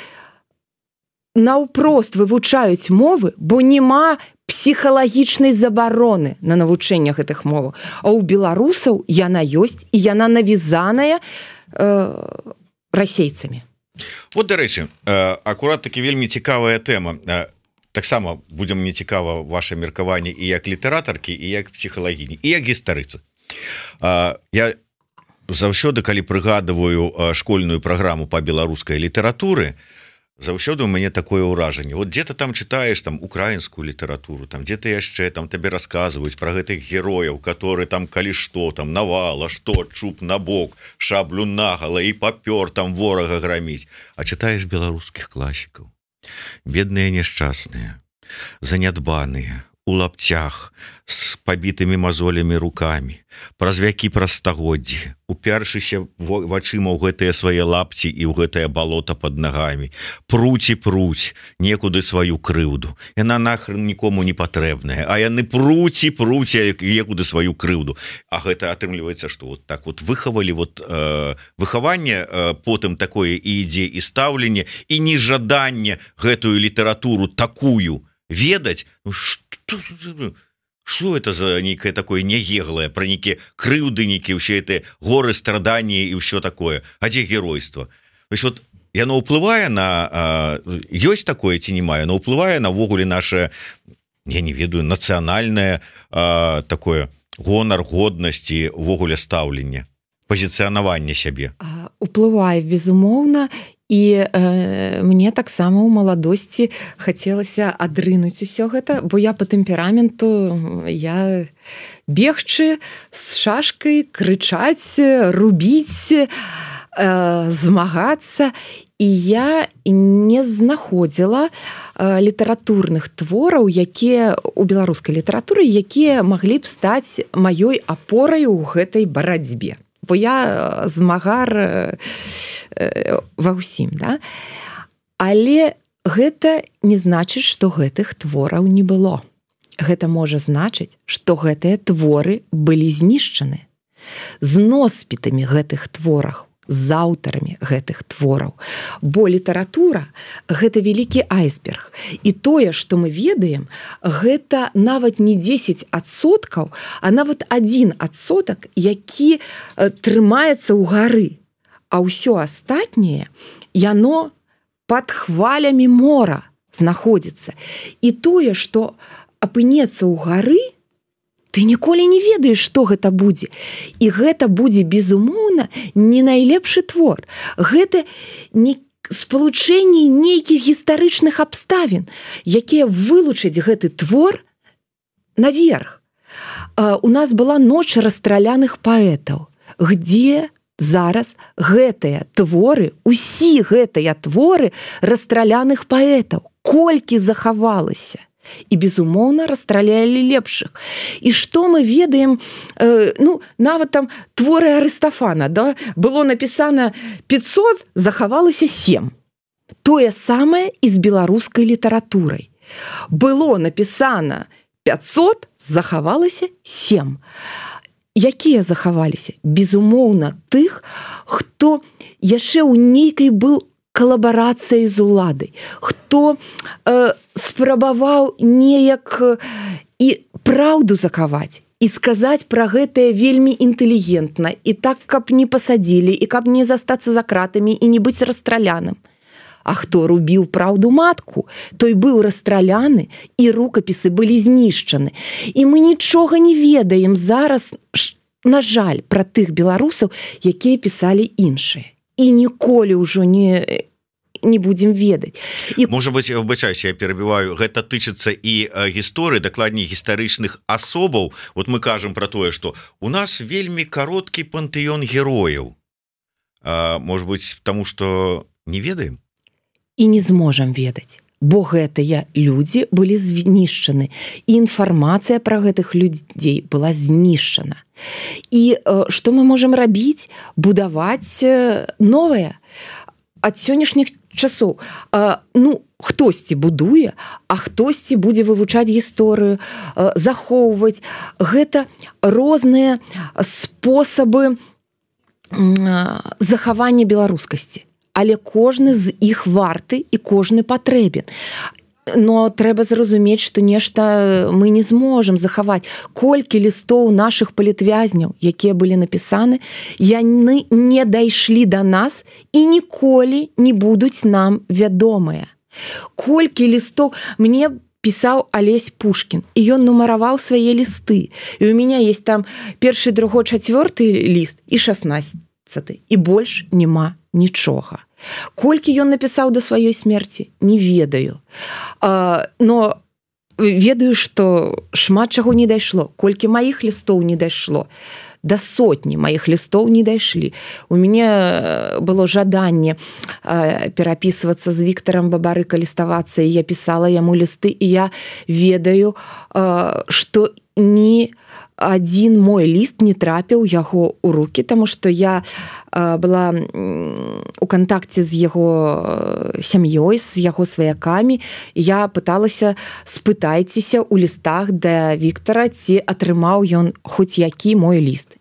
наўпрост вывучаюць мовы, бо няма псіхалагічнай забароны на навучэнне гэтых моваў. А ў беларусаў яна ёсць, і яна навязаная расейцамі. Вот, дарэчы, акурат такі вельмі цікавая тэма. Таксама будзе мне цікава ваше меркаванне і як літаратаркі, і як псіхалагіні, і як гістарыцы. Я заўсёды, калі прыгадываю школьную праграму па беларускай літаратуры, заўсёды у мяне такое ўражанне. Вот где-то там читаешь там украінскую літаратуру, там где-то яшчэ там табе расказваюць про гэтых герояў, которые там калі што там навала, што чуб на бок, шаблю нагала і папёр там ворага граміць. А читаешь беларускіх класікаў, бедныя няшчасныя, занядбаныя, у лапцях, з пабітымі мазолямі рукамі, праз вякі, праз стагоддзі, упершыся вачыма ў гэтыя свае лапці і ў гэтае балота пад нагамі, пруць і пруць некуды сваю крыўду. Яна нахрен нікому не патрэбная, а яны пруць і пруць некуды сваю крыўду. А гэта атрымліваецца, што вот так вот выхавалі вот выхаванне, потым такое і ідзе і стаўленне, і нежаданне гэтую літаратуру такую ведаць. Что это за некое такое нееглое, про некие крыўды, некие все это горы, страдания и все такое? А где геройство? То есть вот яно ўплывае на... Ёсць такое ці нема? Яно ўплывае на ввогуле наше, я не ведаю, нацыянальнае такое гонар, годнасці, ввогуле стаўленне, пазіцыянаванне сябе. Уплывае, безумоўна. І мне таксама ў маладосці хацелася адрынуць усё гэта, бо я по тэмпераменту, я бегчы з шашкай, крычаць, рубіць, змагацца. І я не знаходзіла літаратурных твораў, якія у беларускай літаратуры, якія маглі б стаць маёй апорай у гэтай барацьбе. Бо я змагар ва ўсім, да? Але гэта не значыць, што гэтых твораў не было. Гэта можа значыць, што гэтыя творы былі знішчаны. З носьбітамі гэтых твораў, з аўтарамі гэтых твораў. Бо літаратура – гэта вялікі айсберг. І тое, што мы ведаем, гэта нават не 10%, а нават 1%, які трымаецца ў гары. А ўсё астатняе, яно пад хвалямі мора знаходзіцца. І тое, што апынецца ў гары, ты ніколі не ведаеш, што гэта будзе. І гэта будзе, безумоўна, не найлепшы твор. Гэта не спалучэнне нейкіх гістарычных абставін, якія вылучаць гэты твор наверх. У нас была ноч расстраляных паэтаў, где зараз гэтыя творы, усе гэтыя творы расстраляных паэтаў, колькі захавалася. І, безумоўна, расстралялі лепшых. І што мы ведаем, нават там творы Арыстафана, да? Было напісана 500, захавалася 7. Тое самае і з беларускай літаратурай. Было напісана 500, захавалася 7. Якія захаваліся? Безумоўна, тых, хто яшчэ ў нейкай был калабарацыяй з уладай, хто спрабаваў неяк і праўду захаваць, і сказаць пра гэтае вельмі інтэлігентна, і так, каб не пасадзілі, і каб не застацца за кратамі, і не быць расстраляным. А хто рубіў праўду матку, той быў расстраляны, і рукапісы былі знішчаны. І мы нічога не ведаем зараз, на жаль, пра тых беларусаў, якія пісалі іншыя. І ніколі ўжо не будем ведаць. І можа быть, выбачаюся, я перабіваю, гэта тычыцца і гісторыі, дакладней гістарычных асобаў. Вот мы кажам про тое, што у нас вельмі кароткі пантэон герояў. Может быть, тому что не ведаем і не зможам ведаць, бо гэтыя людзі былі знішчаны, і інфармацыя пра гэтых людзей была знішчана. І што мы можам рабіць? Будаваць новае. Ад сённяшніх часоў хтосьці будуе, а хтосьці будзе вывучаць гісторыю, захоўваць. Гэта розныя спосабы захавання беларускасці, але кожны з іх варты і кожны патрэбен. Но трэба зразумець, што нешта мы не зможам захаваць. Колькі лістоў нашых палітвязняў, якія былі напісаны, яны не дайшлі да нас і ніколі не будуць нам вядомыя. Колькі лістоў мне пісаў Алесь Пушкін, і ён нумараваў свае лісты. І у мяне есть там 1, 2, 4 ліст і 16, і больш няма нічога. Колькі ён напісаў да сваёй смерці, не ведаю. Но ведаю, што шмат чаго не дайшло. Колькі маіх лістоў не дайшло, да сотні маіх лістоў не дайшлі. У мяне было жаданне перапісвацца з Віктарам Бабарыка, ліставацца, і я пісала яму лісты, і я ведаю, што ні адзін мой ліст не трапіў яго ў рукі, таму што я была у кантакце з яго сям'ёй, з яго сваякамі. Я пыталася, спытайцеся ў лістах да Віктара, ці атрымаў ён хоць які мой ліст.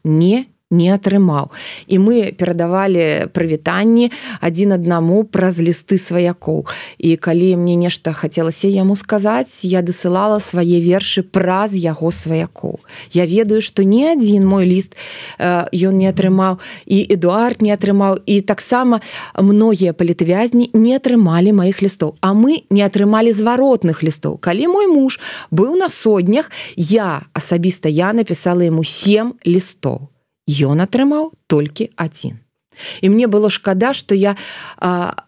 Не атрымаў. І мы перадавалі прывітанні адзін аднаму праз лісты сваякоў. І калі мне нешта хацелася яму сказаць, я дасылала свае вершы праз яго сваякоў. Я ведаю, што ні адзін мой ліст ён не атрымаў, і Эдуард не атрымаў, і таксама многія палітвязні не атрымалі маіх лістоў. А мы не атрымалі зваротных лістоў. Калі мой муж быў на соднях, асабіста я напісала яму 7 лістоў. Ён атрымаў толькі 1. І мне было шкада, што я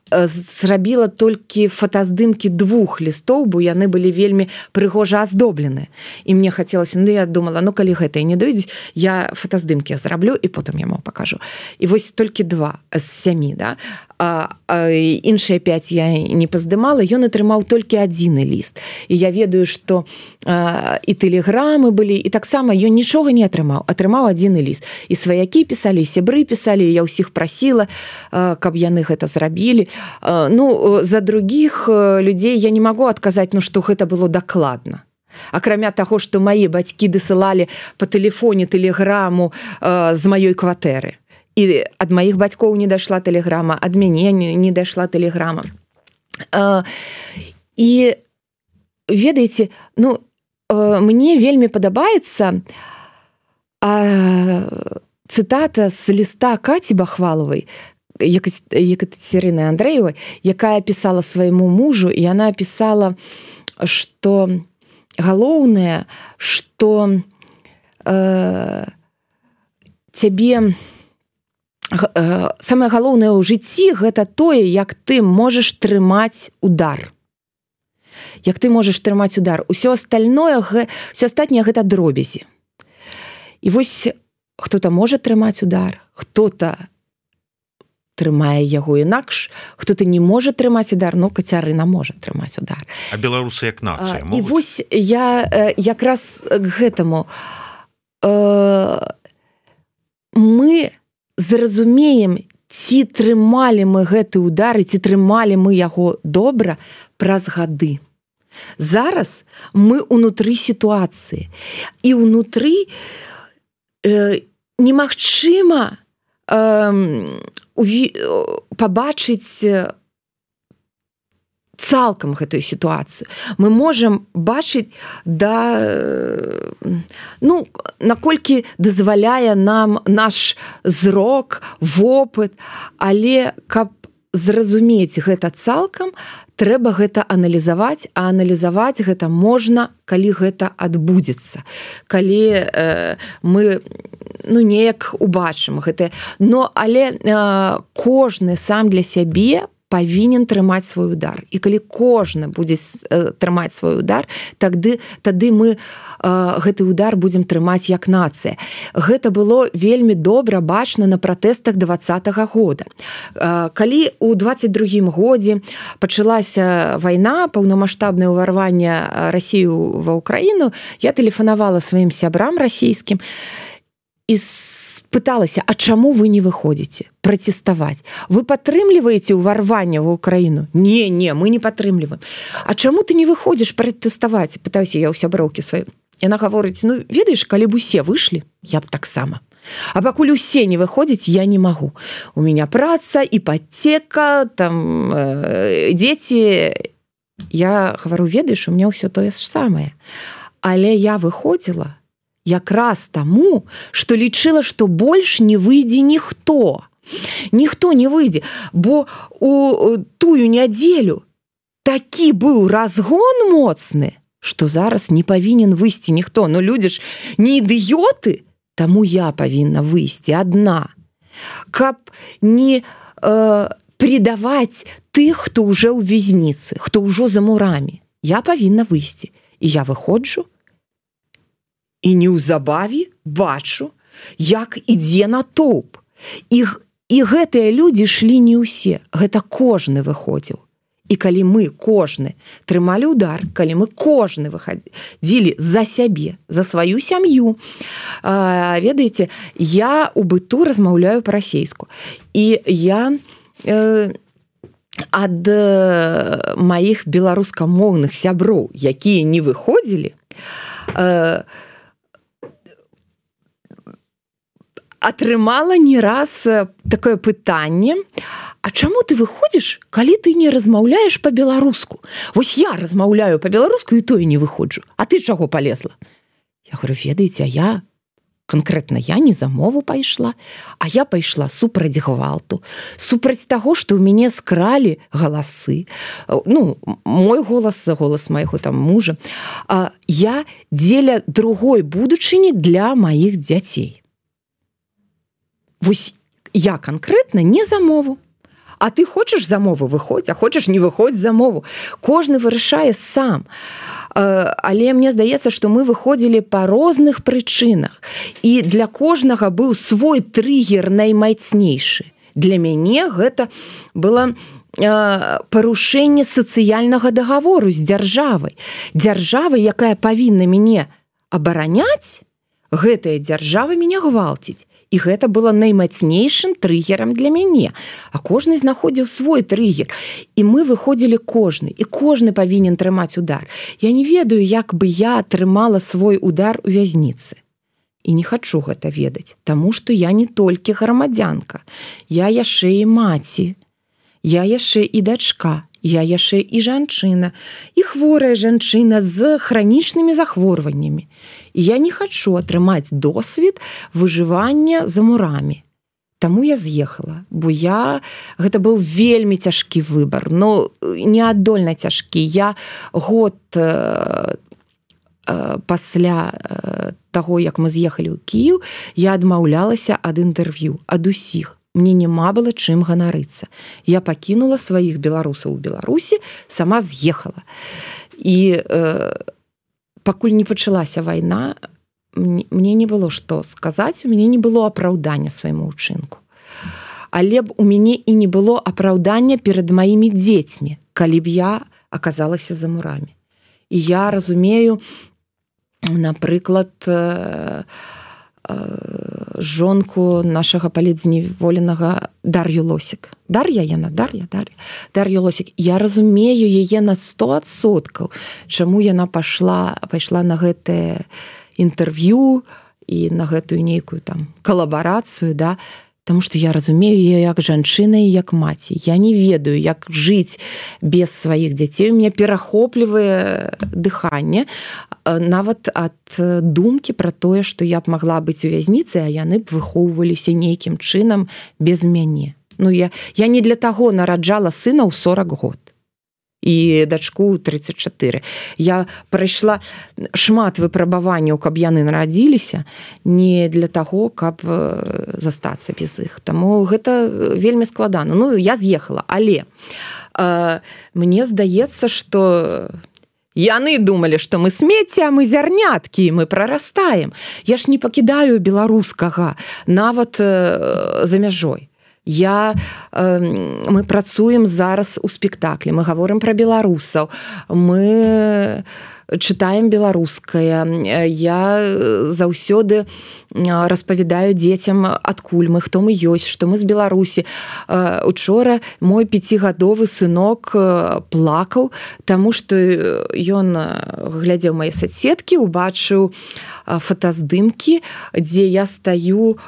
зрабіла толькі фотаздымкі 2 лістоў, бо яны былі вельмі прыгожа аздоблены. І мне хацелася, я думала, калі гэта і не дойдзе, я фотаздымкі зраблю і потым яму пакажу. І вось толькі 2 з 7, да? Іншыя 5 я не паздымала, ён атрымаў толькі 1 ліст. І я ведаю, што і тэлеграмы былі, і таксама ён нічога не атрымаў. Атрымаў 1 ліст. І сваякі пісалі, і сябры пісалі, і я ўсіх прасіла, каб яны гэта зрабілі. За другіх людзей я не магу адказаць, што гэта было дакладна. Акрамя таго, што мае бацькі дасылалі па тэлефоне тэлеграму з маёй кватэры. І ад маіх бацькоў не дайшла тэлеграма, ад мяне не дайшла тэлеграма. І ведаеце, мне вельмі падабаецца цытата з ліста Каці Бахвалавай, Екатерины Андреевой, якая пісала свайму мужу, і яна пісала, што галоўнае, што цябе самае галоўнае ў жыцці гэта тое, як ты можаш трымаць удар. Як ты можаш трымаць удар. Усё астатняе гэта дробязі. І вось хто-то можа трымаць удар, хто-то трымае яго інакш, хто-то не можа трымаць удар, Кацярына можа трымаць удар. А беларусы як нацыя могуць? І вось я якраз к гэтаму. Мы зразумеем, ці трымалі мы гэты удар, ці трымалі мы яго добра праз гады. Зараз мы ўнутры сітуацыі. І ўнутры немагчыма пабачыць цалкам гэтую сітуацыю. Мы можам бачыць наколькі дазваляе нам наш зрок, вопыт, але каб зразумець гэта цалкам, трэба гэта аналізаваць, а аналізаваць гэта можна, калі гэта адбудзецца. Калі мы неяк убачым гэта. Але кожны сам для сябе павінен трымаць свой удар. І калі кожны будзе трымаць свой удар, тады мы гэты удар будзем трымаць як нацыя. Гэта было вельмі добра бачна на пратэстах 20-го года. Калі ў 22-м годзе пачалася вайна, паўнамаштабнае ўварванне Расіі ва Ўкраіну, я тэлефанавала сваім сябрам расійскім і пыталася, а чаму вы не выходзіце пратэставаць? Вы падтрымліваеце ўварванне ва Ўкраіну? Не, мы не падтрымліваем. А чаму ты не выходзіш пратэставаць? Пытаюся я ў сяброўкі сваёй. Яна гаворыць, ведаеш, калі б усе выйшлі, я б таксама. А пакуль усе не выходзяць, я не магу. У меня праца, іпотэка, там дзеці. Я гавару, ведаеш, у меня ўсё тое ж самае. Але я выходзіла якраз таму, што лічыла, што больш не выйдзе ніхто. Ніхто не выйдзе, бо у тую нядзелю такі быў разгон моцны, што зараз не павінен выйсці ніхто. Людзі ж не ідыёты, таму я павінна выйсці адна. Каб не предаваць тых, хто ўжо ў вязніцы, хто ўжо за мурамі. Я павінна выйсці. І я выходжу, і неўзабаве бачу, як ідзе натоўп. І гэтыя людзі шлі не ўсе. Гэта кожны выходзіў. І калі мы кожны трымалі ўдар, калі мы кожны выхадзілі за сябе, за сваю сям'ю, ведаеце, я у быту размаўляю па-расейску. І я ад маіх беларускамоўных сяброў, якія не выходзілі, атрымала не раз такое пытанне, а чаму ты выходзіш, калі ты не размаўляеш па-беларуску? Вось я размаўляю па-беларуску і тое не выходжу. А ты чаго палезла? Я говорю, ведаеце, конкретно я не за мову пайшла, а я пайшла супраць гвалту, супраць таго, што ў мяне скралі галасы. Мой голас, голас майго там мужа. Я дзеля другой будучыні для маіх дзяцей. Вось я конкретно не за мову. А ты хочаш за мову выходзь, а хочаш не выходзь за мову. Кожны вырашае сам. Але мне здаецца, што мы выходзілі па розных прычынах. І для кожнага быў свой трыгер наймацнейшы. Для мяне гэта было парушэнне сацыяльнага дагавору з дзяржавай. Дзяржава, якая павінна мяне абараняць, гэтая дзяржава мяне гвалціць. І гэта было наймацнейшым трыгерам для мяне. А кожны знаходзіў свой трыгер. І мы выходзілі кожны. І кожны павінен трымаць удар. Я не ведаю, як бы я атрымала свой удар у вязніцы. І не хачу гэта ведаць. Таму што я не толькі грамадзянка. Я яшчэ і маці. Я яшчэ і дачка. Я яшчэ і жанчына. І хворая жанчына з хранічнымі захворваннямі. І я не хачу атрымаць досвед выжывання за мурамі. Таму я з'ехала, бо гэта быў вельмі цяжкі выбар, неадольна цяжкі. Я год пасля таго, як мы з'ехалі ў Кіеў, я адмаўлялася ад інтэрв'ю, ад усіх. Мне няма было чым ганарыцца. Я пакінула сваіх беларусаў у Беларусі, сама з'ехала. І пакуль не пачалася вайна, мне не было што сказаць, у мяне не было апраўдання свайму ўчынку. Але б у мяне і не было апраўдання перад маімі дзецьмі, калі б я аказалася за мурамі. І я разумею, напрыклад, жонку нашага палітзняволенага Дар'ю Лосік. Дар'я. Дар'я Лосік. Я разумею яе на 100%, чаму яна пайшла на гэтае інтэрв'ю і на гэтую нейкую там калабарацыю, да? Таму што я разумею яе як жанчына і як маці. Я не ведаю, як жыць без сваіх дзяцей. У мяне перахоплівае дыханне нават ад думкі пра тое, што я б магла быць у вязніцы, а яны б выхоўваліся нейкім чынам без мяне. Я не для таго нараджала сына ў 40 год. і дачку 34. Я прайшла шмат выпрабаванняў, каб яны нарадзіліся, не для таго, каб застацца без іх. Таму гэта вельмі складана. Ну, я з'ехала, але мне здаецца, што яны думалі, што мы смецце, а мы зярняткі, мы прарастаем. Я ж не пакідаю беларускага нават за мяжой. Мы працуем зараз у спектаклі, мы гаворым пра беларусаў, мы чытаем беларускае. Я заўсёды распавядаю дзецям, адкуль мы, хто мы ёсць, што мы з Беларусі. Учора мой 5гадовы сынок плакаў, таму што ён глядзеў мае соцсеткі, убачыў фотаздымкі, дзе я стаю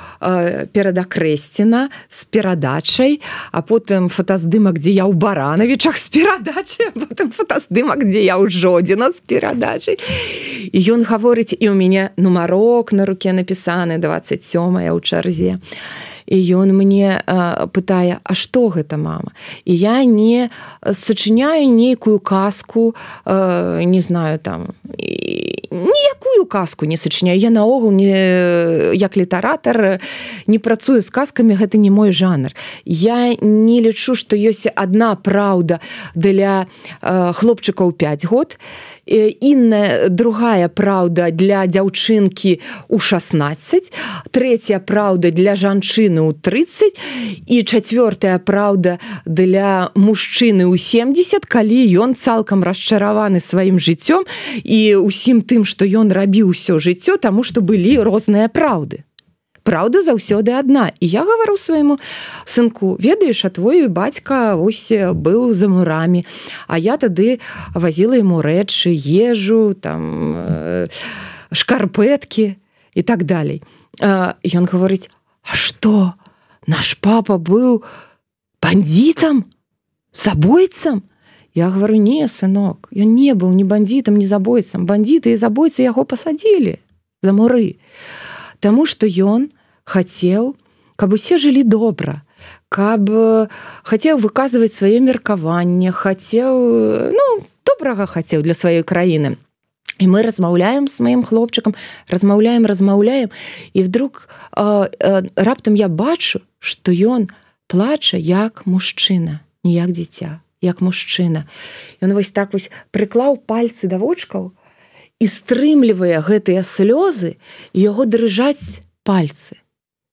перад Акрэсціна з перадачай, а потым фотаздымак, дзе я ў Баранавічах з перадачай, а потым фотаздымак, дзе я ў Жодзіна з перадачай. І ён гаворыць, і ў мяне нумарок на руке напісаны, 27-я ў чарзе. І ён мне пытае, а што гэта, мама? І я не сачыняю нейкую казку, не знаю, там, ніякую казку не сачыняю. Я наогул, як літаратар, не працую з казкамі, гэта не мой жанр. Я не лічу, што ёсць адна праўда для хлопчыкаў 5 год, інная, другая праўда для дзяўчынкі ў 16, трэця праўда для жанчыны ў 30 і чацвёртая праўда для мужчыны ў 70, калі ён цалкам расчараваны сваім жыццём і ўсім тым, што ён рабіў усё жыццё, таму што былі розныя праўды. Праўда заўсёды адна. І я гавару свайму сынку, ведаеш, а твой бацька ось быў за мурамі, а я тады вазіла яму рэчы, ежу, там, шкарпэткі і так далей. Ён гаворыць, а што, наш папа быў бандитам, забойцам? Я гавару, не, сынок, ён не быў ні бандитам, ні забойцам. Бандиты і забойцы яго пасадзілі за муры. Таму што ён хацеў, каб усе жылі добра, каб хацеў выказваць сваё меркаванне, хацеў, добрага хацеў для сваёй краіны. І мы размаўляем з маім хлопчыкам, размаўляем, і вдруг раптам я бачу, што ён плача як мужчына, не як дзіця, як мужчына. Ён вось так вось прыклаў пальцы да вочкаў і стрымлівае гэтыя слёзы, і яго дрыжаць пальцы.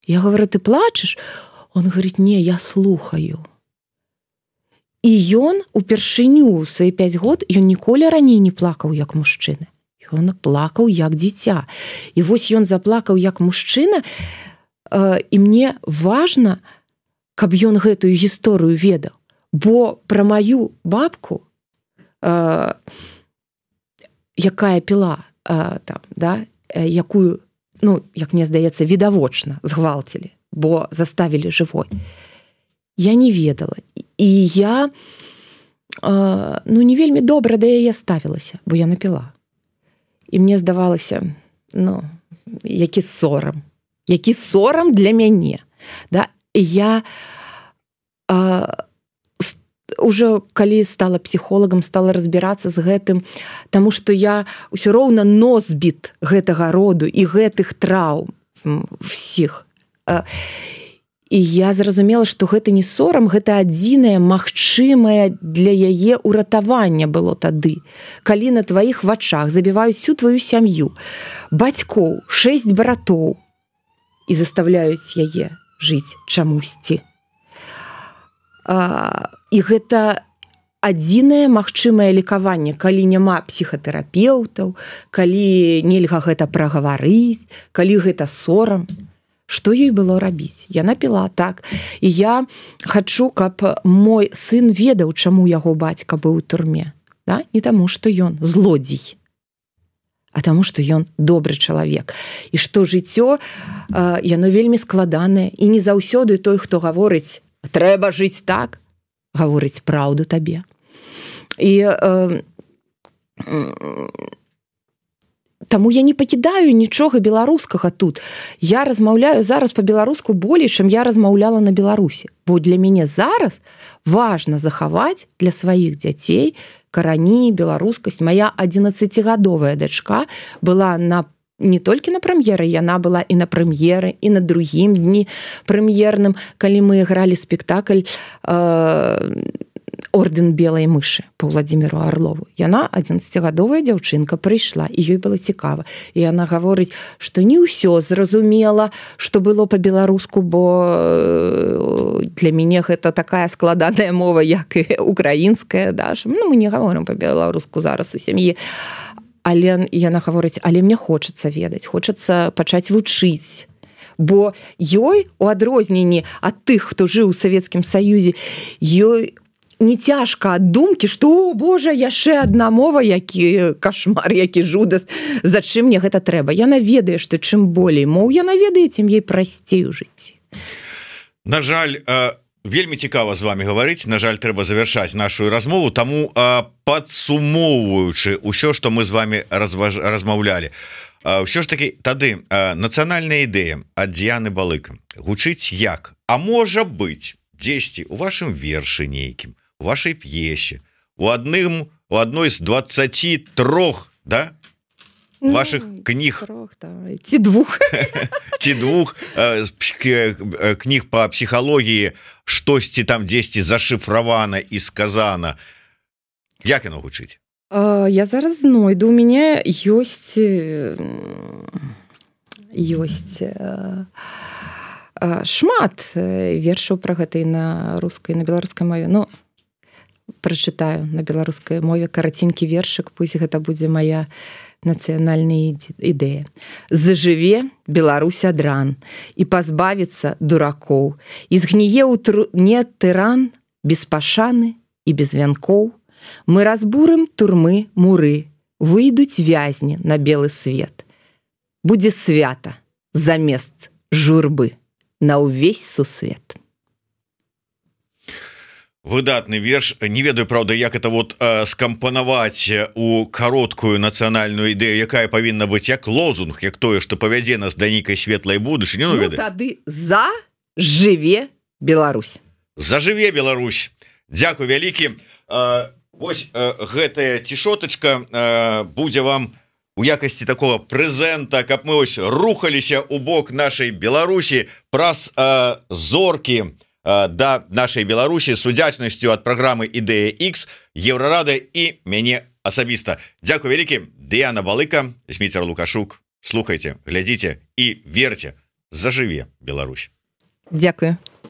Я говорю, ты плачешь? Он говорит, не, я слухаю. І ён упершыню ў свае 5 год, ён ніколі раней не плакаў як мужчына. Ён плакаў як дзіця. І вось ён заплакаў як мужчына, і мне важна, каб ён гэтую гісторыю ведаў. Бо пра маю бабку, якая піла, там, да, якую, як мне здаецца, відавочна згвалцілі, бо заставілі жывой. Я не ведала. І я не вельмі добра да яе ставілася, бо я напіла. І мне здавалася, які сорам для мяне. Да? І я уже калі стала псіхолагам, стала разбірацца з гэтым, таму што я ўсё роўна носьбіт гэтага роду і гэтых траўм всіх. І я зразумела, што гэта не сорам, гэта адзінае магчымае для яе ўратавання было тады. Калі на тваіх вачах забіваюць всю тваю сям'ю, бацькоў, 6 братоў і заставляюць яе жыць чамусьці. І гэта адзінае магчымае лекаванне, калі няма псіхатэрапеўтаў, калі нельга гэта прагаварыць, калі гэта сорам. Што ёй было рабіць? Яна піла так. І я хачу, каб мой сын ведаў, чаму яго бацька быў у турме. Да? Не таму, што ён злодзей, а таму, што ён добры чалавек. І што жыццё, яно вельмі складанае. І не заўсёды той, хто гаворыць, трэба жыць так, гаворыць праўду табе. І Таму я не пакідаю нічога беларускага тут. Я размаўляю зараз па-беларуску болей, чым я размаўляла на Беларусі. Бо для мяне зараз важна захаваць для сваіх дзяцей карані, беларускасць. Моя 11гадовая дачка была не толькі на прэм'еры, яна была і на прэм'еры, і на другім дні прэм'ерным, калі мы гралі спектакль «Орден белай мышы» по Владимиру Орлову. Яна 11гадовая дзяўчынка прыйшла, і ёй было цікава. І яна гаворыць, што не ўсё зразумела, што было па-беларуску, бо для мяне гэта такая складаная мова, як і украінская. Да? Мы не гаворым па-беларуску зараз у сям'і. Але яна гаворыць, але мне хочацца ведаць, хочацца пачаць вучыць. Бо ёй, у адрозненні ад тых, хто жыў у Савецкім Саюзе, ёй не цяжка ад думкі, што, о, Божа, яшчэ адна мова, які кашмар, які жудас, за чым мне гэта трэба. Яна ведае, што чым болей моў яна ведае, тым ей прасцей у жыцці. На жаль, вельмі цікава з вами гаварыць, на жаль, трэба завяршаць нашу размову, таму падсумоўваючы ўсё, што мы з вами размаўлялі, ўсё ж такі тады нацыянальная ідэя ад Дыяны Балыка гучыць як? А можа быць, дзесьці у вашым вершы нейкім, у вашай п'есе, у адной з 23, да? Ваших кніг ці двух кніг по псіхалогіі штосьці там дзесьці зашифравана і сказана. Як яно гучыць? Я зараз знойду, у мяне ёсць шмат вершаў пра гэта і на рускай, на беларускай мове. Ну, прачытаю на беларускай мове караценькі вершык, пусть гэта будзе моя нацыянальная ідэя. Зажыве Беларусь ад ран і пазбавіцца дуракоў, і згніе ў труне тыран без пашаны і без вянкоў. Мы разбурым турмы муры, выйдуць вязні на белы свет. Будзе свята замест журбы на ўвесь сусвет. Выдатны верш. Не ведаю, правда, як это вот скампанаваць у кароткую нацыянальную ідэю, якая павінна быць як лозунг, як тое, што павядзе нас да нейкай светлай будучыні. Ну, тады зажыве Беларусь. Зажыве Беларусь. Дзякуй вялікі. Вось гэтая цішотачка будзе вам у якасці такого прэзента, каб мы ось рухаліся ў бок нашай Беларусі праз зоркі да нашай Беларусі з удзячнасцю ад праграмы «Ідэя X», Еўрарада і мяне асабіста. Дзякуй вялікі. Дыяна Балыка, Зміцер Лукашук. Слухайце, глядзіце і верце. Зажыве Беларусь. Дзякую.